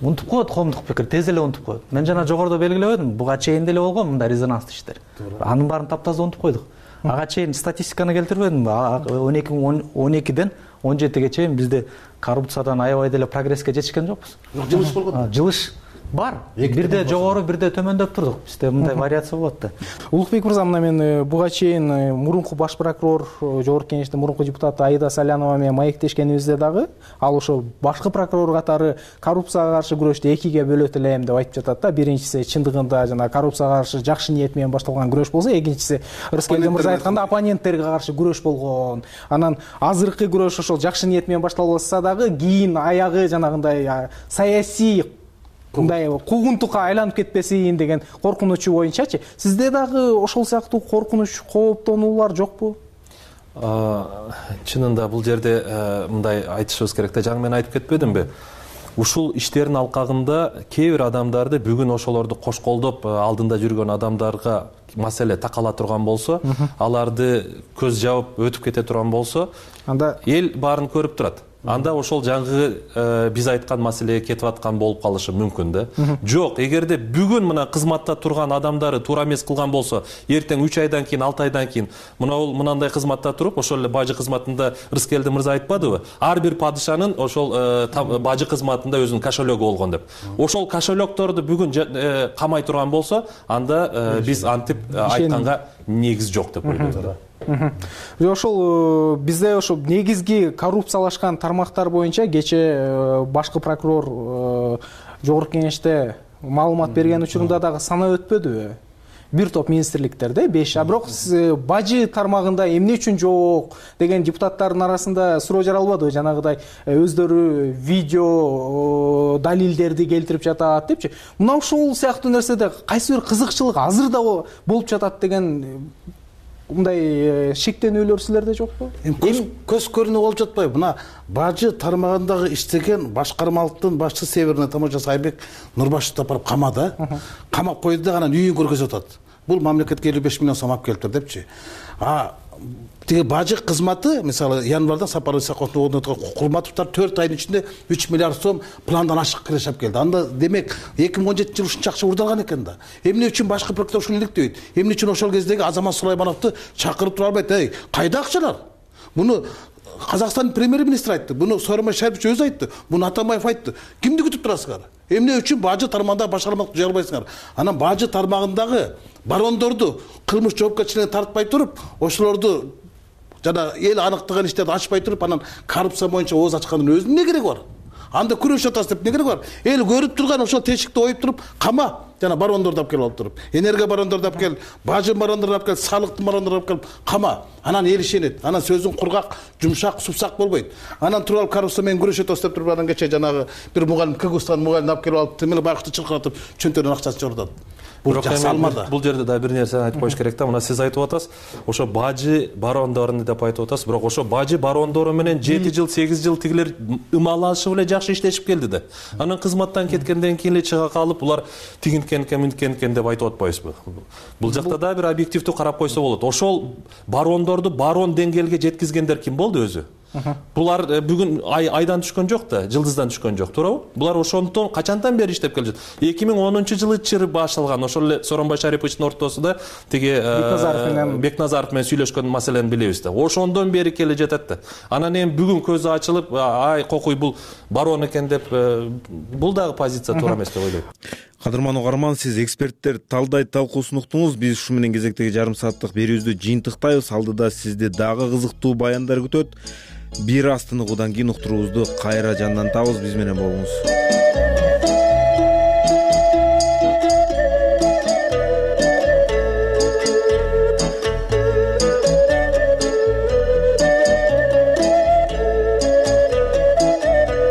Унутуп коет коомдук пикир, тез эле унутуп коет. Мен жана жогоруда белгилебедим, буга чейин деле болгон мындай резонанстуу иштер. Анын баарын таптаза унутуп койдук. Ага чейин статистиканы келтирбедимби? 12ден 17ге чейин бизде коррупциядан аябай деле прогресске жетишкен жокпуз. Жылыш болгон. Жылыш бар. Бирде жогору, бирде төмөндөп турдук. Бизде мындай вариация болот да. Улукбек мырза, мына мен буга чейин мурунку баш прокурор, жогорку кеңештин мурунку депутаты Аида Салянова менен маектешкенибизде дагы ал ошо башкы прокурор катары коррупцияга каршы күрөштү экиге бөлөт элем деп айтып жатат да. Биринчиси чындыгында жана коррупцияга каршы жакшы ниет менен башталган күрөш болсо, экинчиси Рыскелди мырза айтканда оппоненттерге каршы күрөш болгон. Анан азыркы күрөш ошол жакшы ниет менен башталбаса дагы кийин аягы жанагындай саясий мындай куугунтукка айланып кетпесин деген коркунучу боюнчачы, сизде дагы ошол сыяктуу коркунуч, кооптонуулар жокпу? Чынында бул жерде мындай айтышыбыз керек да, жаңы мен айтып кетпедимби? Ушул иштердин алкагында кээ бир адамдарды бүгүн ошолорду кош колдоп алдында жүргөн адамдарга маселе такала турган болсо, аларды көз жабып өтүп кете турган болсо, анда эл баарын көрүп турат. Анда ошол жаңы биз айткан маселеге кетип аткан болуп калышы мүмкүн да. Жок, эгерде бүгүн мына кызматта турган адамдары туура эмес кылган болсо, эртең 3 айдан кийин, 6 айдан кийин мынандай кызматта туруп, ошол эле бажы кызматында Рыскелди мырза айтпадыбы? Ар бир падышанын ошол бажы кызматында өзүнүн кошелегу болгон деп. Ошол кошелекторду бүгүн камай турган болсо, анда биз антип айтканга негиз жок деп ойлойм. Ошол бизде ошо негизги коррупциялашкан тармактар боюнча кечээ башкы прокурор жогорку кеңеште маалымат берген учурунда дагы санаа өтпөдүбү? Бир топ министрликтерде 5, бирок бажы тармагында эмне үчүн жок деген депутаттардын арасында суроо жаралбадыбы? Жанагыдай өздөрү видео далилдерди келтирип жатат депчи. Мына ушул сыяктуу нерседе кайсы бир кызыкчылык азыр да болуп жатат деген мындай шектенүүлөр силерде жокпу? Көз көрүнүп болуп жатпайбы? Мына бажы тармагындагы иштеген башкармалыктын башчысы Северный Таможа Сайбек Нурбашевди барып камады. Камап койду да анан үйүн көргөзүп атат. Бул мамлекетке 55 миллион сом алып келиптир депчи. Тиги бажы кызматы, мисалы, январда Сапар Исаковдун ордуна Кулматовдор 4 айдын ичинде 3 миллиард сом пландан ашык киреш алып келди. Анда демек 2017 жылы ушунча акча урдалган экен да. Эмне үчүн башкы прокурор ушуну иликтебейт? Эмне үчүн ошол кездеги Азамат Сулаймановду чакырып тура албайт? Эй, кайда акчалар? Муну Казакстандын премьер-министри айтты, буну Сооронбай Шарипович өзү айтты, буну Атамбаев айтты. Кимди күтүп турасыңар? Эмне үчүн бажы тармагында башкармалыкты жыя албайсыңар? Анан бажы тармагындагы барондорду кылмыш жоопкерчиликке тартпай туруп, ошолорду жана эл аныктаган иштерди ачпай туруп анан коррупция боюнча ооз ачкандын өзүнүн эмне кереги бар? Анда күрөшүп атасыз деп эмне кереги бар? Эл көрүп турган ошол тешикти оюп туруп кама жана барондорду алып келип алып туруп, энергия барондорду алып келип, бажы барондорду алып келип, салыктын барондорду алып келип кама. Анан эл ишенет. Анан сөзүң кургак, жумшак, супсак болбойт. Анан туруп алып коррупция менен күрөшүп атасыз деп туруп анан кечээ жанагы бир мугалим Кыргызстан мугалимди алып келип алып, темеле байкуту чыркыратып, чөнтөрүнүн акчасын чогултат. Бул жакшы алмады. Бул жерде да бир нерсени айтып коюш керек да. Мына сиз айтып атасыз, ошо бажы барондорун деп айтып атасыз, бирок ошо бажы барондору менен 7 жыл, 8 жыл тигилер ымалашып эле жакшы иштешип келди да. Анан кызматтан кеткенден кийин эле чыга калып, булар тигинткен деп айтып атпайбызбы? Бул жакта да бир объективдүү карап койсо болот. Ошол барондорду барон деңгээлге жеткизгендер ким болду өзү? Булар бүгүн айдан түшкөн жок да, жылдыздан түшкөн жок, туурабы? Булар ошондон качандан бери иштеп келе жатат. 2010-жылы чыр башталган, ошол эле Сооронбай Шариповичтин ортосунда тиги Бекназаров менен сүйлөшкөн маселени билебиз да. Ошондон бери келе жатат да. Анан эми бүгүн көзү ачылып, ай кокуй бул барон экен деп, бул дагы позиция туура эмес деп ойлойм. Кадырман угарман, сиз эксперттер талдай талкуусун уктуңуз. Биз ушу менен кезектеги жарым сааттык берүүбүздү жыйынтыктайбыз. Алдыда сизди дагы кызыктуу баяндар күтөт. Бир аз тыныгуудан кийин уктуруубузду кайра жандантабыз. Биз менен болуңуз.